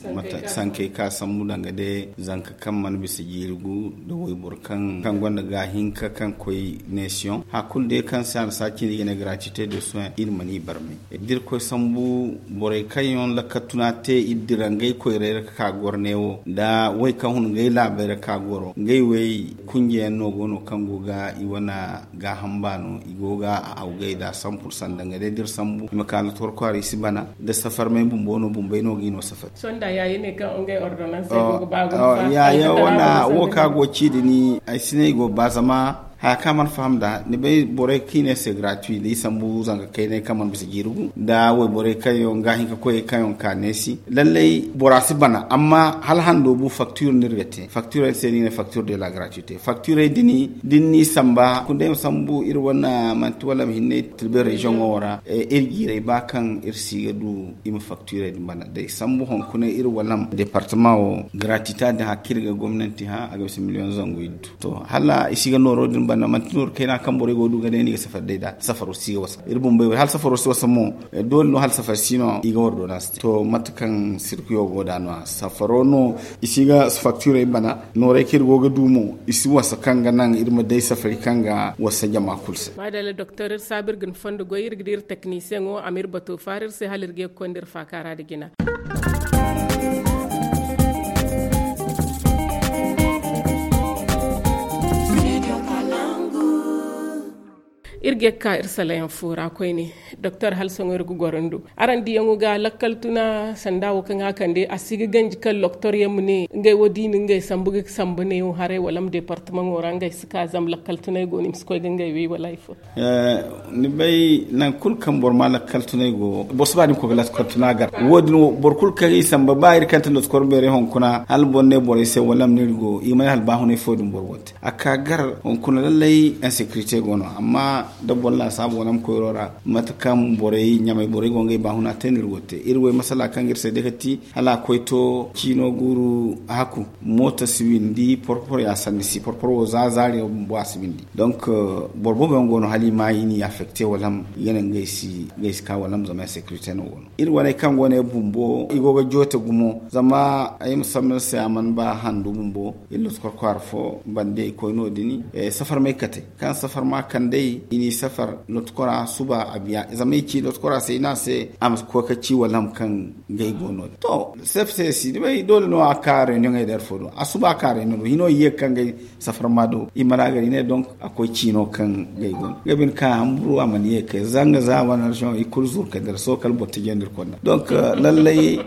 sankey ka sambu danga day zanka kaŋ mana bisa jiiri gu da wayboro kaŋ gonda ga hinka kaŋ koy nation hari kulu day kaŋ se a na saaci no i ga ne gratuité de soin iri mana i barmay da iri koy sambu borey kaŋ yaŋ lakkatuna te iri dira ngey koyray ra ka ka goro neewo da way kaŋ hun ngey laabey ra ka goro ngey wey kunjeyaŋ no go no kaŋ go ga i wane gaaham baano i go ga a awgay da sambu sanda nga day da iri sambu i ma ka latorkwaari i si bana da safarmey bumbo no bumbey no ga i no safari. Sonda ya i ne kaŋ ngey ordonnance ay go ga ba gumo fa ya ya wane wo kaŋ a go ci din ay si ne i go ga ba zama haya kaŋ a mana faham nd'a ni bay borey kaŋ i ne se gratuit da i sambu zanga kaynay kaŋ mana bisa jiiri gu nda wayborey kaŋ yaŋ ga hin ka koy kaŋ yaŋ ka neesi lallay bora si bana amma hala hando bu facture no iri ga te facture se no i ne facture de la gratuité facturey din da ni n'i samba kunda i ma sambu iri wane manti wala ma hinne tilbe région wo ra iri jiirey ba kaŋ iri si ga du i ma facturey din bana day sambu hunkuna iri wala ma département wo gratuité din hakka iri ga gomnanti hã a ga bisa million zangu iddu to hala i si ga nooro din banda manti nooru kayna kaŋ borey go ga du ga day no i ga safari day nd'a safaro si ga wasa iri bumbey wo hala safaro si wasa mo doole no hala safari si no i ga war do no a si te to mate kaŋ sirkuyo go nd'a no-ya safaro no i si ga facturey bana nooray kaŋ iri go ga du mo i si wasa kaŋ ga naŋ iri ma day safari kaŋ ga wasa jama kulu se. Madalla doktor iri saabu iri ga ni fondo goy iri ga di iri teknisiyeŋo a ma iri bato faara iri se hala iri ga ye ga konda iri faaka ra nda jina. Iri ga ye ga ka iri salayaŋ fo ra koyne doktor hala sohõ iri ga goro ni do araŋ diyaŋo ga lakkal tuna sanda wo kaŋ a kande a si ga ganji kaŋ doktor yaŋ ma ne ngey wo da i na ngey sambu ga sambu neewo haray wala ma departemaŋo ra ngey si ka zama lakkal tunay go no i ma si koy ga ngey wey wala hari fo. Ni bay nangu kulu kaŋ boro ma lakkal tunay go boro si ba ni ma koy ga lakkal tuna gar wo- din boro kulu kaŋ i samba ba iri kaŋ ti lotkor beeray hunkuna hala boro ne borey se wala ma ne iri go i mana hala ba hunay fo din boro go te a ka gar hunkuna lallay insécurité go no amma da boro laasaabu wala ma koyro ra mate kaŋ borey ɲamay borey go ngey ba huna te no iri go te iri way masala kaŋ ga iri se day ga ti hala a koy to ciino guuru haku mooto si windi porpor ya sanni si porpor wo za zaari wo bumbo a si windi donc boro boobo yaŋ go no hala i ma i n'i affecté wala i ga ne ngey si ka wala zama insécurité no go no iri waney kaŋ go no ay bumbo i go ga joote gumo zama ay ma sambu ni se a mana ba handu bumbo iri lotkor kwaara fo bande i koy no- din safar may kate kaŋ safar ma kand'ey i n'i safar lotkora suba a biya zama i ci lotkora se i ne a se a ma koy ga ci wala ham kaŋ ngey go no- din to sef se si ni bay doole no a ka reunion ay da hari fo do a suba a ka reunion do hino i ye ga kaŋ ngey safar ma do i mana a gar i ne donc a koy ciino kaŋ ngey go no ngey bine ka hamburu a mana ye ga kay zanga za wane région i kulu zuru kay dira sohõ kala boro tijandi iri konda donc lallay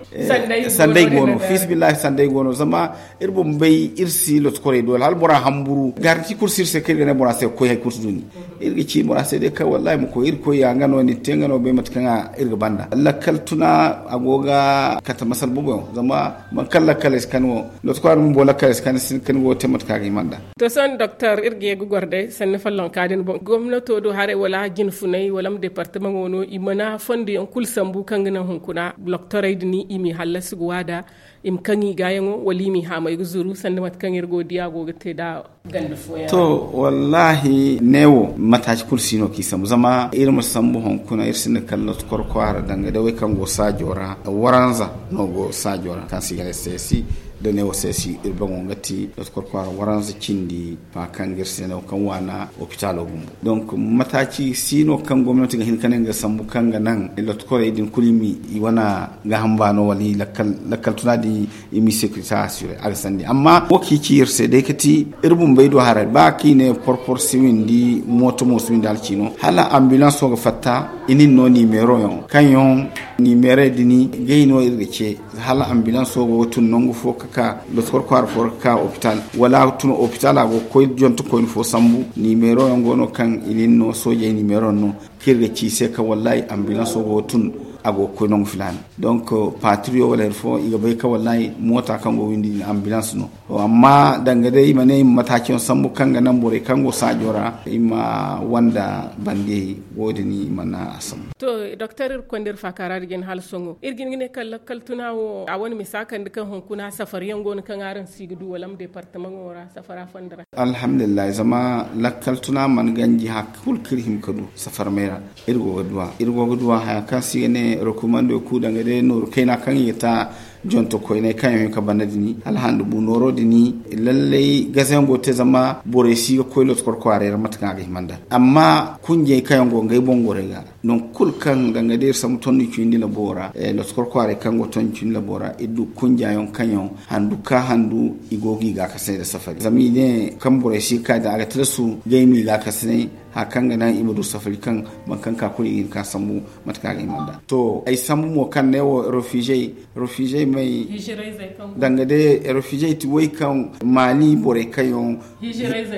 sanday go no fiisibillahi sanday go no zama iri bumbo bay iri si lotokorey doole hala bora hamburu garanti kulu si iri se kaŋ iri ga ne bora se ga koy hari kulu si du ni iri ga ci bora se day kaŋ wallahi ma koy iri koy ya nga no ni te nga no bay mate kaŋ iri ga banda lakkal tuna a go ga kate masal boobo yaŋ zama boro kaŋ lakkal ay si kan wo lootokora bumbo lakkal ay si kan ni go ga te mate kaŋ a ga hima nd'a. To sohõ doktor iri ga ye ga goro day sanni follonka din boŋ gomnato do haray wala jinfunay wala ma departemaŋo no i mana fonduyaŋ kulu sambu kaŋ ga naŋ hunkuna doktorey din i m'i hallasi ga waada i ma kaŋ i gaayaŋo wala i m'i haamay ga zuru sanda mate kaŋ iri go ga di a go ga te nd'a ganda fooyaŋ ra. To wallahi neewo mataaci kulu si no kaŋ i sambu zama iri ma sambu hunkuna iri sinda kala lootokor kwaara danga day wey kaŋ go saajo ra waranza no go saajo ra kaŋ se i ga ne seesi Da ne wo se si iri baŋo ga ti lotkor kwaara waranza cindi fa kaŋ ga iri se no kaŋ waana opitalo bumbo. Donc mataaci si no kaŋ gomnati ga hin ka ne nga sambu kaŋ ga naŋ lotkorey din kulu i wane gaaham baano wala i lakkal tuna din i ma i securité assurer a ga sandi amma wo kaŋ i ci iri se day ka ti iri bumbey do haray ba kaŋ i ne porpor si windi mooto mo si windi hala ciino hala ambulance wo ga fatta i nin no nimero yaŋ kaŋ yaŋ nimero din gay no iri ga ce hala ambulance wo go ga tun nangu fo ka ka lotkor kwaara fo ka ka hopital wala a ga tun hopital a go ga koy jonte koyne fo sambu nimero yaŋ go no kaŋ i nin no soojey nimero yaŋ no kaŋ iri ga ci i se kaŋ wallahi ambulance wo go ga tun a go ga koy nangu filaana. Donc patrouille wala hari fo i ga bay kaŋ wallahi moota kaŋ go ga windi din ambulance no. Amma danga day i ma ne i ma mataaci yaŋ sambu kaŋ ga naŋ borey kaŋ go saajo ra i ma wanda bande wo- din i mana a sambu. To, doktor, iri ga konda iri faakaara da jina hala sohõ iri ga hin ga ne kaŋ lakkal tuna wo a wane misa kande kaŋ hunkuna safar yaŋ go no kaŋ araŋ si ga du wala ma departamaŋo ra safara fonda ra? Alhamdulillahi zama lakkal tuna mana ganji hari kulu kaŋ iri hima ga du safar may ra. Iri go ga duw'a iri go ga duw'a haya kaŋ se i ga ne recommando kulu danga day nooru kayna kaŋ i ga ta jonto koyney kaŋ yaŋ ga bana din hala handu bu nooro din lallay gazayaŋ go ga te zama borey si ga koy lotkor kwaaray ra mate kaŋ a ga hima nd'a amma kunjey kaŋ yaŋ go ngey boŋ gorey ga nangu kulu kaŋ danga day iri sambu tonni cindi labo ra lotkor kwaaray kaŋ go tonni cindi labo ra iri du kunja yaŋ kaŋ yaŋ handu ka handu i go ga i gaakasinay nda safari zama i ne kaŋ borey si ga ka din a ga tilasu ga i ma i gaakasinay hari kaŋ ga naŋ i ma du safari kaŋ boro kaŋ ka kulu i ga hin ka sambu mate kaŋ a ga hima nd'a. To ay sambu mo kaŋ ne wo refugey refugey may danga day refugey ti way kaŋ maali borey kaŋ yaŋ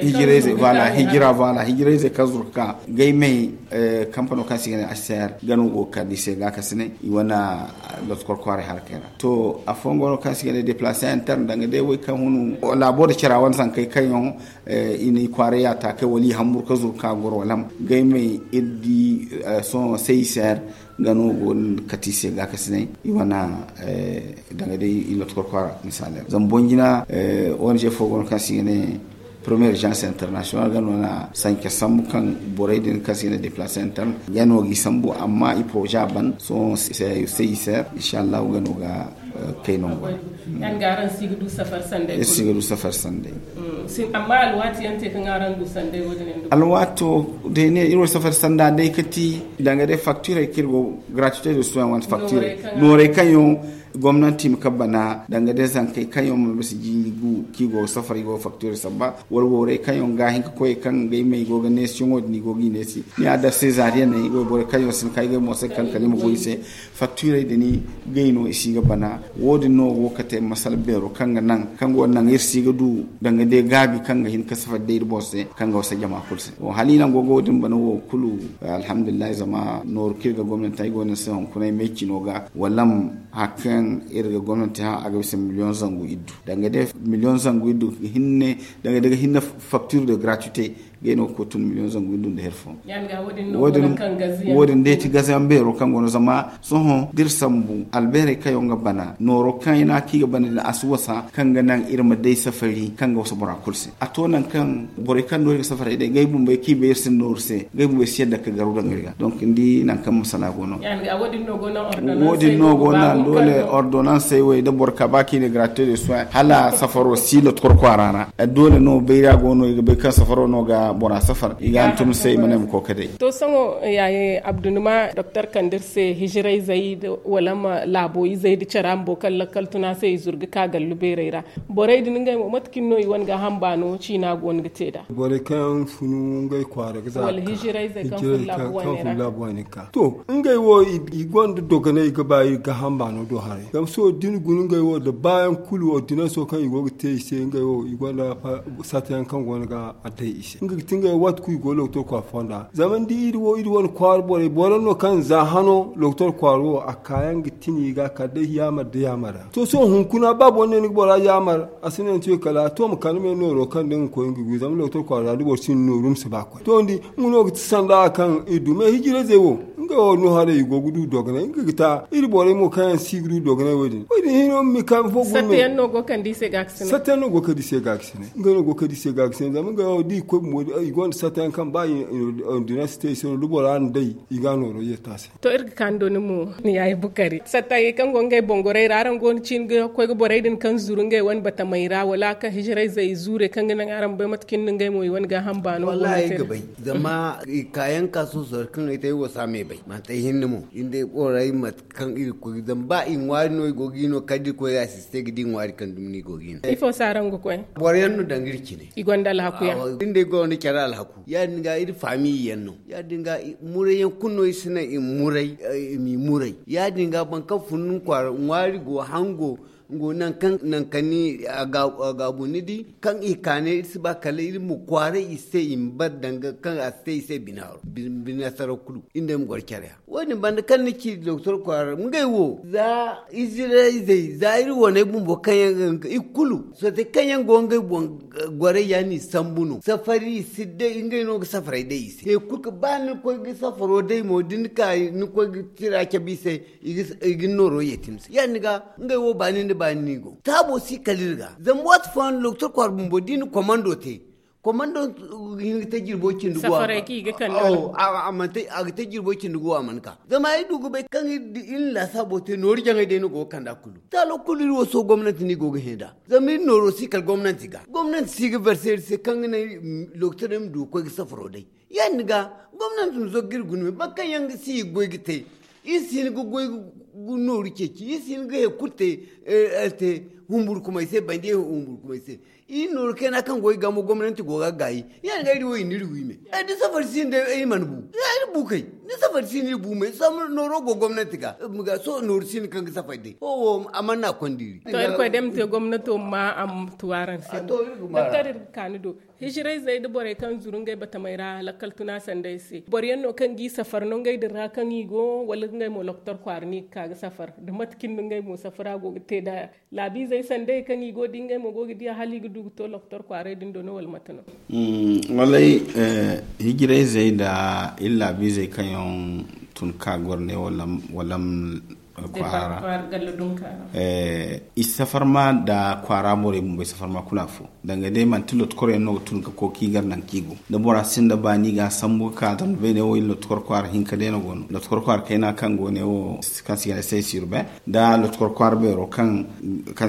hijirayzey voilà hijira voilà hijirayzey kaŋ zuru ga ka gay may kampano kaŋ se i ga ne hcr ga no go ga kande i se gaakasinay i wane lotkor kwaaray harakey ra to afooyaŋ go no kaŋ se i ga ne deplacer interne danga day way kaŋ hunu laabo nda cara wane zankey kaŋ yaŋ i na i kwaaray yaataakey wala i hamburu ka zuru ka goro wala ma gay may iri di sohõ cicr ga no go ga kate i se gaakasinay i wane danga day i lotkor kwaara misaali ra zama boŋ jina ong fo go no kaŋ se i ga ne première agence international ga no na sanke sambu kaŋ borey din kaŋ se i ga ne deplacer interne ga no ga i sambu amma i projet a ban sohõ cicr inshallahu ga no ga kay nango ra. Yaŋ ga araŋ si ga du safar sanday kulu si ga du safar sanday. Amma alwaati yaŋ te kaŋ araŋ du sanday wo- din yaŋ du alwaato day ne iri wo safar sanda day ka ti danga day facturey kaŋ iri go gratuité de soin wante facturey noorey kaŋ yaŋ gomnanti ma ka bana danga day zankey kaŋ yaŋ ma bisa jiiri gu kaŋ i go ga safar i go ga facturey samba wala borey kaŋ yaŋ ga hin ka koy kaŋ ga i ma i go ga neesi yaŋo din i go ga i neesi ni a da césarienne i go borey kaŋ yaŋ si hin ka ay ga ay mo se kaŋ kala i ma goy i se. Facturey din gay no i si ga bana wo- din no go ga te masala beero kaŋ ga naŋ kaŋ go naŋ iri si ga du danga day gaabi kaŋ ga hin ka safari day iri boro se kaŋ ga wasa jama kulu se. Hala i naŋ go ga wo- din bana wo kulu alhamdulillahi zama nooru kaŋ iri ga gomnanti ay go no ni se hunkuna ay may cino ga wala ma hari kaŋ iri ga gomnanti hã a ga bisa million zangu iddu danga day million zangu iddu hinne danga day ga hinne facture de gratuité gay no ga koy tun million zangu iddu nda hari fo. Wo- din day ti gazayaŋ beero kaŋ go no zama sohõ da iri sambu albeerey kaŋ yaŋ ga bana nooro kaŋ i na a kaŋ i ga bana din a si wasa kaŋ ga naŋ iri ma day safari kaŋ ga wasa bora kulu se a to nangu kaŋ borey kaŋ no iri ga safaray day ngey bumbey kaŋ i bay iri se nooru se ngey bumbey si yadda ga garu daŋ iri ga donc ni di nangu kaŋ masala go no. Wo- din no go naŋ doole ordonnansey wo da boro ka ba kaŋ i ne gratuité de soin hala safaro si lotkor kwaara ra doole no bayra go no i ga bay kaŋ safaro no ga bora safar i ga hantum se i ma ne ma koy ka day. To sohõ yaaye abdu ni ma doktor kande iri se hijirayzey wala ma laabo izey da cara bumbo kaŋ lakkal tuna se i zuru ga ka gallu beerey ra borey din ngey mo mate kaŋ no i wane gaaham baano ciina go no ga te nd'a? Borey kaŋ funu ngey kwaara ga za wala hijirayzey kaŋ funu laabu wane ra. To ngey wo i gonda dogonay ga ba iri gaaham baano do haray zama sohõ da ni guna ngey wo nda baayaŋ kulu ordinanso kaŋ i go ga te i se ngey wo i gonda sata yaŋ kaŋ go no ga a day i se nga ga ti ngey waati kulu i go lokotor kwaara fonda zama ni di iri wo iri wane kwaara borey boro no kaŋ za hano lokotor kwaara wo a kaayaŋ ga tini ga kala day yaamar da yaamar ra to sohõ hunkuna ba boro ne ni ga bora yaamar a si ne ni to kala to ma kande me nooro kaŋ da nga koy nga wi zama lokotor kwaara ra da boro sinda nooru ma si ba koy to ni di nga no ga ti sanda kaŋ iri du me hijirayzey wo ngey wo no haray i go ga du dogonay nga ga ta iri borey mo kaŋ yaŋ si ga du dogonay wo- din wo- din hino ma mi kaami fo gurme. Satta yaŋ no go ga kande i se ga ga sine ngey no go ga kande i se ga ga sine zama ngey wo da i koy bumbo I gonda satta yaŋ kaŋ ba i ordinance te i se no da bora na day, i ga nooro yetta se. To iri ga kaani do ni mo, ni yaayi bukari satta yaŋ kaŋ go ngey bongorey ra araŋ go no ciini ga koy ga borey din kaŋ zuru ngey wane batamey ra wala kaŋ hijirayzey i zuure kaŋ ga naŋ araŋ bay mate cine no ngey mo i wane gaaham baano go no te? Zama i kaayaŋ ka soosoro kaŋ ay te ay wo si a me bay manti ay hinne mo. Iri day borey mate kaŋ iri ga koy zama ba i ŋwaari no i go ga i no kala da iri koy ga asiste ga di ŋwaari kaŋ dumi no i go ga i no. Ifo se araŋ ga koy? Boro yaŋ no danga iri cine. I gonda alhaku yaŋ. Iri day gonda care alhaku ya- din ga iri faamiya yaŋ no ya- din ga. Muray yaŋ kulu no iri si naŋ i ma muray. I ma i muray ya- din ga boro kaŋ fun ni kwaara ŋwaari go hango. Ngo nangu kaŋ ni a gaabu ni di kaŋ i kaane iri si ba kala iri ma kwaara i se i ma bare danga kaŋ a si te i se bine haro bine saraw kulu. Iri day ma goro care ya wo- din banda kaŋ ni ci doktor kwaara ngey wo za izirayzey za iri waney bumbo kaŋ yaŋ ga i kulu sote kaŋ yaŋ go ngey boŋ. Gorey ya no i sambu no safari i si day ngey no ga safaray day i se he kulu ba ni koy ga safaro day mo da ni ka ni koy ga tira cabe i se. I ga ni nooro yeeti ni se ya- din ga ngey wo baani nda baani no i go taabo si kala iri ga zama waati fooyaŋ doktor kwaara bumbo da i na komando te. Komando ga hin ga te jirbo cindi go a mana ka. Zama ay du ga bay kaŋ iri na laasaabo te nooru jaŋay day no go ga kand'a kulu taalo kulu iri wo sohõ gomnanti no i go ga hẽ nd'a. Zama iri nooro si kala gomnanti ga gomnanti si ga verse iri se kaŋ ga naŋ lokotaray ma du ga koy ga safaro day. Ya- din ga gomnanti ma zogga iri guna me boro kaŋ yaŋ ga si i ga goy ga te. Iri si hin ga goy ga nooru ceeci iri si hin ga he kulu te. Iri te humburkumay se bandi humburkumay se. Iri nooru kayna kaŋ go i ga mo gomnanti go ga gaayi. Ya- din ga iri wo i na iri wi me da safari si no day iri mana bu. Iri bu kay da safari si no iri bu me sohõ nooro go gomnanti ga. Sohõ nooru si no kaŋ ga safari day ho wo a mana na konda iri. To irkoy day ma te gomnato ma a ma tu araŋ se. Doktor iri ga kaani do hijirayzey nda borey kaŋ zuru ngey batamey ra lakkal tuna sanday se boro yaŋ no kaŋ ga i safar no ngey din ra kaŋ i go wala ngey mo lokotor kwaara no i ga ka ga safar da mate cine no ngey mo safara go ga te nd'a. Laabiizey sanday kaŋ i go da ngey mo go ga diya hala i ga du ga to lokotor kwaaray din do no wala mate no? Wallay, hijirayzey nda iri laabiizey kaŋ yaŋ tun ka goro ne wala kwaara ra. I si safar ma nda kwaara borey bumbo i si safar ma kulu afo. Danga day manti lotkoro yaŋ no ga tun ga koy ga i gar naŋ kaŋ i go da bora sinda baani ga a sambu ga ka zama beene wo iri lotkoro kwaara hinka day no go no lotkoro kwaara kayna kaŋ go ne wo kaŋ se i ga ne sey sirbe nda lotkoro kwaara beero kaŋ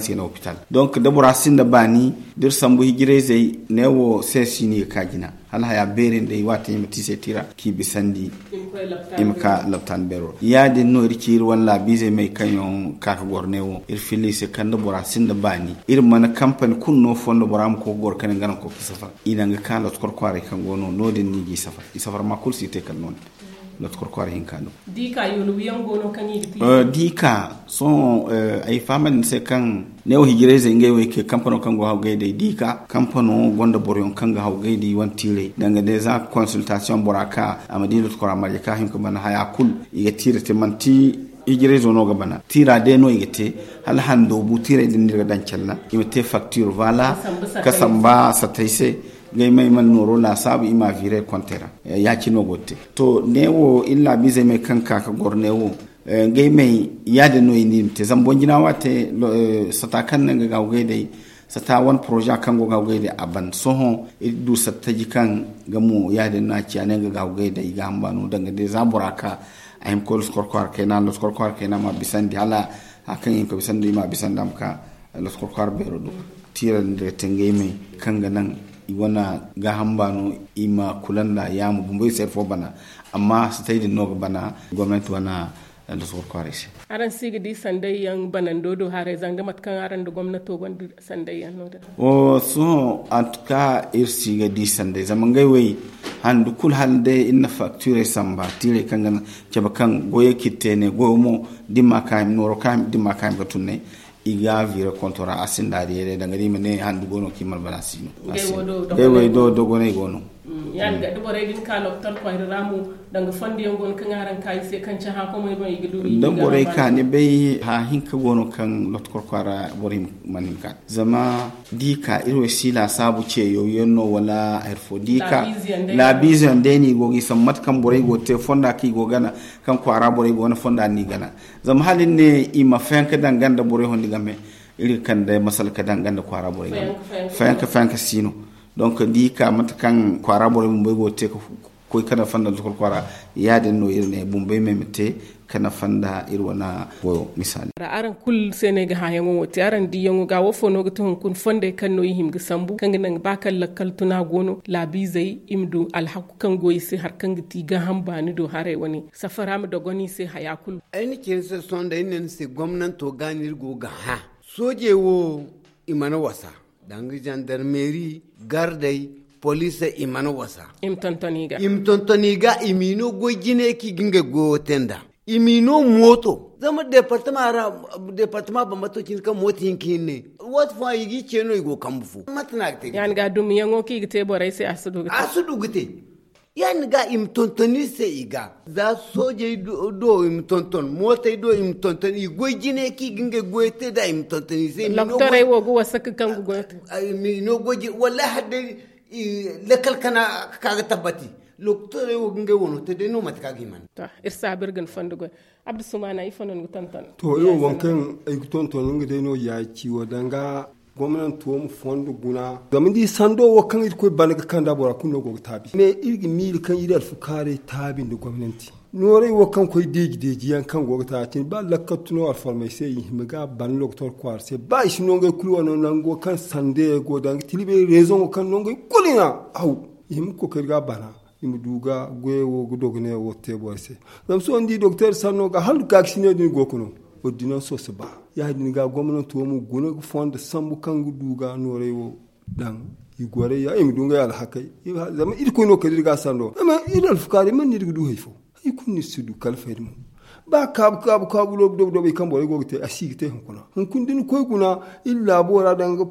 se i ga ne hopital. Donk da bora sinda baani da iri sambu hijirayzey ne wo sey si no i ga ka jina hala haya beeri nda i waati i ma te i se tiira kaŋ i bisandi. I ma ka laptaani beero ya- din no iri ci iri wane laabiizey may kaŋ yaŋ ka ga goro ne wo iri filla i se kaŋ da bora sinda baani iri mana kampani kulu no fondo bora ma koy ga goro kane nga naŋ koy ga safar i naŋ ga ka lotkor kwaaray kaŋ go no no- din no i ga i safar i safar ma kulu si te kala no- din. Lotkor kwaaray hinka no. Diika sohõ ay fahamandi ni se kaŋ ne wo hijirayzey ngey wo ay ke kampano kaŋ go hawgay day diika kampano gonda boroyaŋ kaŋ ga hawgay da i wane tiiray danga day za consultation bora ka a ma di lotkora marje ka hin ka bana haya kulu. I ga tiira te manti hijirayzo no ga bana tiira day no i ga te hala hando bu tiiray din no iri ga daŋ calla i ma te facture vala ka samba satay se. Ngey ma i mana nooro laasaabu i ma a viire konte ra. Ya- cine no go ga te to ne wo iri laabiizey may kaŋ ka ga goro ne wo. Ngey may ya- din no i ne i ma te zama boŋ jina wo a te sata kaŋ no nga ga hawgay day sata wane poroza kaŋ go ga hawgay day a ban sohõ iri du sata taji kaŋ ga mo ya- din no a ciya no nga ga hawgay day i ga hamba no danga day za bora ka a hima koy loskor kwaara kayna loskor kwaara kayna ma bisandi hala hari kaŋ i hima ka bisandi i ma bisandi a ma ka loskor kwaara beero do. Tiira din da ga te ngey may kaŋ ga naŋ i wane gaaham baano i ma kula nda yaamo bumbo i se hari fo bana. Amma satay din no ga bana gomnanti wane loskor kwaaray se. Araŋ si ga di sanday yaŋ banando do haray zanga mate kaŋ araŋ nda gomnato gonda sanday yaŋ no- din? Wo sohõ antuka iri si ga di sanday zama ngey wey handu kulu hala day iri na faktiirey samba tiirey kaŋ ga cabe kaŋ goyey kaŋ iri te ne goyo mo da iri ma ka hima nooro kaŋ iri ma ka hima ga tun ne. I ga viire konto ra a sinda a diyay day danga da i ma ne handu go no kaŋ i mana bana si no. Ngey wey do dogonay go no. Ya- din ga da borey din ka lokotor kwaara ra mo danga fondo yaŋ go no kaŋ araŋ ka i se kaŋ cahã komey boŋ i ga du i ga da borey ka ni bay hã hinka go no kaŋ lokotor kwaara borey mana hin ka zama da i ka iri wo si laasaabu ceeyaw yaŋ no wala hari fo da i ka laabiize yaŋ day no i go ga i sambu mate kaŋ borey go ga te fonda kaŋ i go gana kaŋ kwaara borey go no fonda no i gana. Zama hala iri ne i ma fayanka daŋ ganda borey hondi game iri ga kande masala ka daŋ ganda kwaara borey game. Fayanka fayanka si no. Donk da i ka mate kaŋ kwaara borey bumbey go ga te ga koy ga nafa nda lokol kwaara, ya- din no iri ne bumbey me ma te ga nafa nda iri wane goyo misaali. Araŋ kulu se no ay ga hããyaŋo wo te araŋ diiyaŋo ga wo fo no ga ti hunkuna fondey kaŋ no i hima ga sambu kaŋ ga naŋ ba kaŋ lakkal tuna go no laabiizey i ma du alhaku kaŋ go i se hari kaŋ ga ti gaaham baani do haray wane safara ma dogon i se haya kulu. Ay na ci ni se sohõ day ni ne ni se gomnanto ga no iri go ga hã. Soojey wo i mana wasa, danga zandarmeeri, gardey, poliisey i mana wasa. I ma tonton i ga i ma tonton i ga i m'i no goy jine kaŋ i ga ngey goyo te nd'a. I m'i no mooto zama deepartama ra deepartama bambato cindi kaŋ mooto hinka hinne. Waati fooyaŋ i g'i ce no i go kambu fo mate no a ga te ga te ya- din ga dumiyaŋo kaŋ i ga te borey se a si du ga te. Ya- din ga i ma tonton iri se i ga za soojey do i ma tonton mootey do i ma tonton i goy jine kaŋ i ga ngey goyo te nd'a i ma tonton iri se. Loktorey wo ga wasa ga kaŋ ga goyo te. Wallaahi hala day lakkal kana ga ka ga tabbati. Loktorey wo ga ngey wano te day no mate kaŋ a ga hima nd'a. Iri saabu iri ga ni fondo goy. Abdu sumaana ifo no ni ga tonton? To iri wo waŋ kaŋ ay ga tonton nga day no ya ci wo danga gomnanto ma fondo guna zama ni di sando wo kaŋ irkoy bana ga kand'a bora kulu no go ga taabi ne iri ga miila kaŋ iri alfukaarey taabi nda gomnanti. Nooray wo kaŋ koy deeji deeji yaŋ kaŋ go ga taabi cine ba lakkattu no alformey se i hima ga ban loktor kwaara se ba i si no ngey kulu wano nango kaŋ sandayey go danga tilibey rezoŋo kaŋ no ngey kulu i na haw i hima ga koy ga iri ga bana. I ma du ga goyey wo ga dogoney wo te borey se. Zama sohõ ni di doktor sanno ga hala ga ga si ne din go ga no ordinanso si ba. Ya- din ga gomnanto ma guna ga fondo sambu kaŋ ga du ga noorey wo daŋ i gorey ya i ma du ngey alhakey. Zama irkoy no kala iri ga a sando zama iri alfukaarey mana no iri ga du hari fo. Hari kulu no iri si du kala fayda mo. Ba kaabu kaabu kaabu dobo dobo i kaŋ borey go ga te a si ga te hunkuna hunkuna da ni koy guna iri laabo ra daŋ ga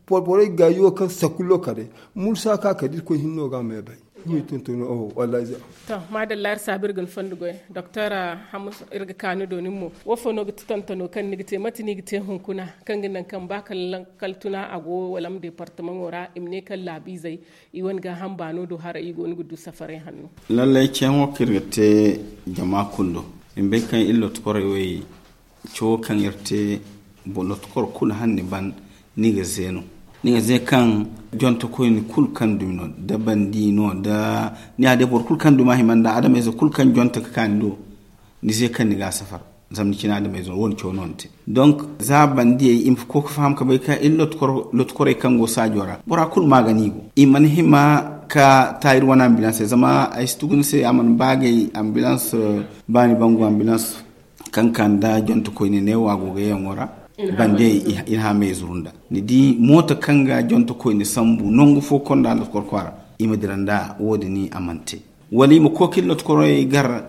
porporey gaayo kaŋ sakullo kade mursa ka kade irkoy hinno ga a me bay. Ni tontono oh wallahi za. To maadalla iri saabu iri ga ni fondo goy doktor. Hamus iri ga ka ni do nin mo wo fo no ga ti tontono kaŋ ni ga te mate no i ga te hunkuna kaŋ ga naŋ kaŋ ba kala lakkal tuna a go wala ma deepartamaŋo ra i ma ne kaŋ laabiizey i wane gaaham baano do haray i go no ga du safaray hanno. Lallay ceeyaŋo kaŋ iri ga te jama kulu do i ma bay kaŋ iri lotokorey wo i cawo kaŋ iri te lotukor kulu hanni ban ni ga ze no ni ga ze kaŋ jontokoyni kulu kaŋ dumi no da bandi no da ni ya day boro kulu kaŋ dumi a hima nda adamayze kulu kaŋ jonto ga ka ni do ni ze kaŋ ni ga a safar. Zama ni cina adamayze no wo- din cawo no ni te donk za bandiyey i ma koy ga faham ga bay kaŋ iri lotokorey kaŋ go saajo ra bora kulu ma ga no i go i mana hima ga ta iri wane ambilansey zama ay si tugu ni se a mana ba gay ambilans baani bangu ambilans kaŋ ka nda jontokoyne neewo a go ga yaŋo ra. Bande i na haamey zuru nda ni di mooto kaŋ ga jontokoyne sambu nangu fo konda lotkor kwaara i ma dira nda wo- din a mana te wala i ma koy ka iri lotkoroy gar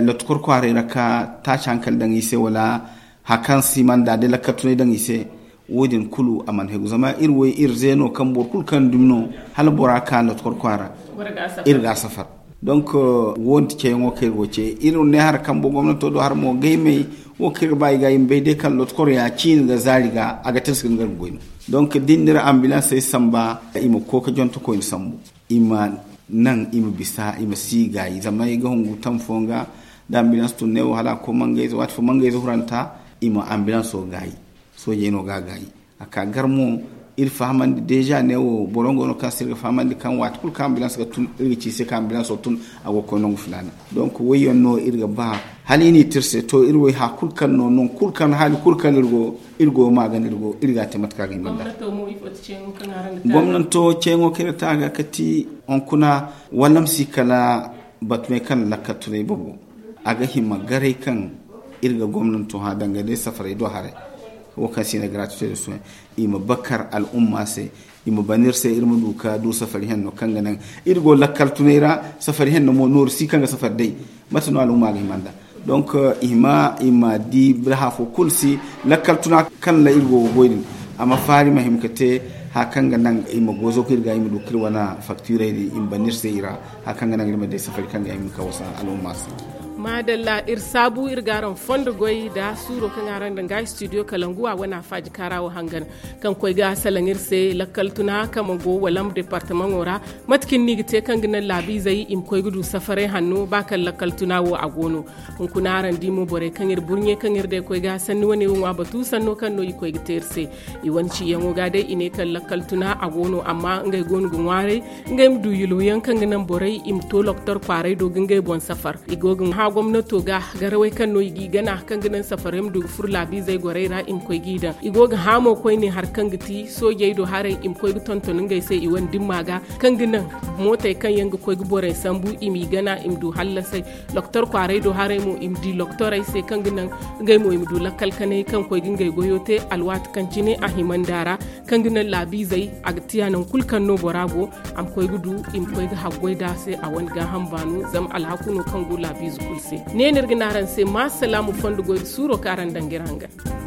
lotkor kwaaray ra ka taaci hankali daŋ i se wala hari kaŋ si mana da day lakkal tunay daŋ i se. Wo- din kulu a mana hegu zama iri way iri ze no kaŋ boro kulu kaŋ dumi no hala bora ka lotkor kwaara iri ga a safar. Donk wo- din ceeyaŋo kaŋ iri go ce iri ne hari kaŋ bo gomnato do hari mo gaymey wo kaŋ iri ga ba i ga i ma bay day kaŋ lotkor ya ciine nda zaari ga a ga tirsi ga ni gar ga goy no. Donk da ni na iri ambilansey samba i ma koy ga jontokoyne sambu i ma naŋ i ma bisa i ma si gaayi zama i ga hungu tam fooyaŋ ga da ambilans tun neewo hala a ga koy mangayze waati fo mangayze huranta i ma ambilanso gaayi. Soojey no ga a gaayi a ka gar mo iri fahamandi deeza neewo boro go no kaŋ se iri ga fahamandi kaŋ waati kulu kaŋ ambilans ga tun iri ga ci i se kaŋ ambilanso tun a go ga koy nangu filaana. Donk wayyaŋ no iri ga ba hala i n'i te iri se to iri way haya kulu kaŋ no nangu kulu kaŋ haali kulu kaŋ iri go iri go ma ga no iri go iri ga a te mate kaŋ a ga hima nda. Gomnanto ceeyaŋo kaŋ iri ga te a ga kati hunkuna wala ma si kala batumey kaŋ lakkal tunay babo a ga hima garay kaŋ iri ga gomnanto hã danga day safarey do haray. Wo kaŋ se i ne gratuité de soin i ma bakar al'umma se i ma ban iri se iri ma du ka du safari henno kaŋ ga naŋ iri go lakkal tunay ra. Safari henno mo nooru si kaŋ ga safari day mate no al'umma ga hima nda. Donk i ma i ma di biraha fo kulu si lakkal tuna kaŋ ra iri go ga goy din a ma faari ma hima ga te haya kaŋ ga naŋ i ma gozo ga iri ga i ma du ka iri wane faktirey din i ma ban iri se i ra haya kaŋ ga naŋ iri ma day safari kaŋ ga hima ga wasa al'umma se. Maadalla, iri saabu iri ga araŋ fondo goy nda suuro kaŋ araŋ daŋ ga studio kalangu a wane a faaji kaara wo hangan, kaŋ koy ga salaŋ iri se lakkal tuna kaŋ ma go walam departamaŋo ra. Mate kaŋ ni ga te kaŋ ga naŋ laabiizey i ma koy ga du safaray hanno ba kaŋ lakkal tuna wo a go no? Hunkuna araŋ di mo borey kaŋ iri burɲe kaŋ iri day koy ga sanni wane wo ŋwa batu sanno kaŋ no i koy ga te iri se. I wane ciyaŋo ga day i ne kaŋ lakkal tuna a go no amma ngey go no ga ŋwaaray ngey ma du yulwayaŋ kaŋ ga naŋ borey i ma to loktor kwaaray do ga ngey boŋ safar. I go ga hã gomnato ga garawey kaŋ no i g'i gana kaŋ ga naŋ safarey ma du ga furo laabiizey gorey ra i ma koy g'i daŋ. I go ga hã mo koyne hari kaŋ ga ti soojey do haray i ma koy ga tonton ngey se i wane dimma ga kaŋ ga naŋ mootey kaŋ yaŋ ga koy ga borey sambu i m'i gana i ma du hallasay. Loktor kwaaray do haray mo i ma di loktorey se kaŋ ga naŋ ngey mo i ma du lakkal kanay kaŋ koy ga ngey goyo te alwaati kaŋ cine a himandi a ra, kaŋ ga naŋ laabiizey a ga tiya nangu kulu kaŋ no bora go a ma koy ga du i ma koy ga haggoy nd'a se a wane gaaham baano zama alhaku no kaŋ go laabiize kulu se. Ne no iri ga ne araŋ se ma salaamu fondo goy nda suuro kaŋ araŋ daŋ ga iri hangan.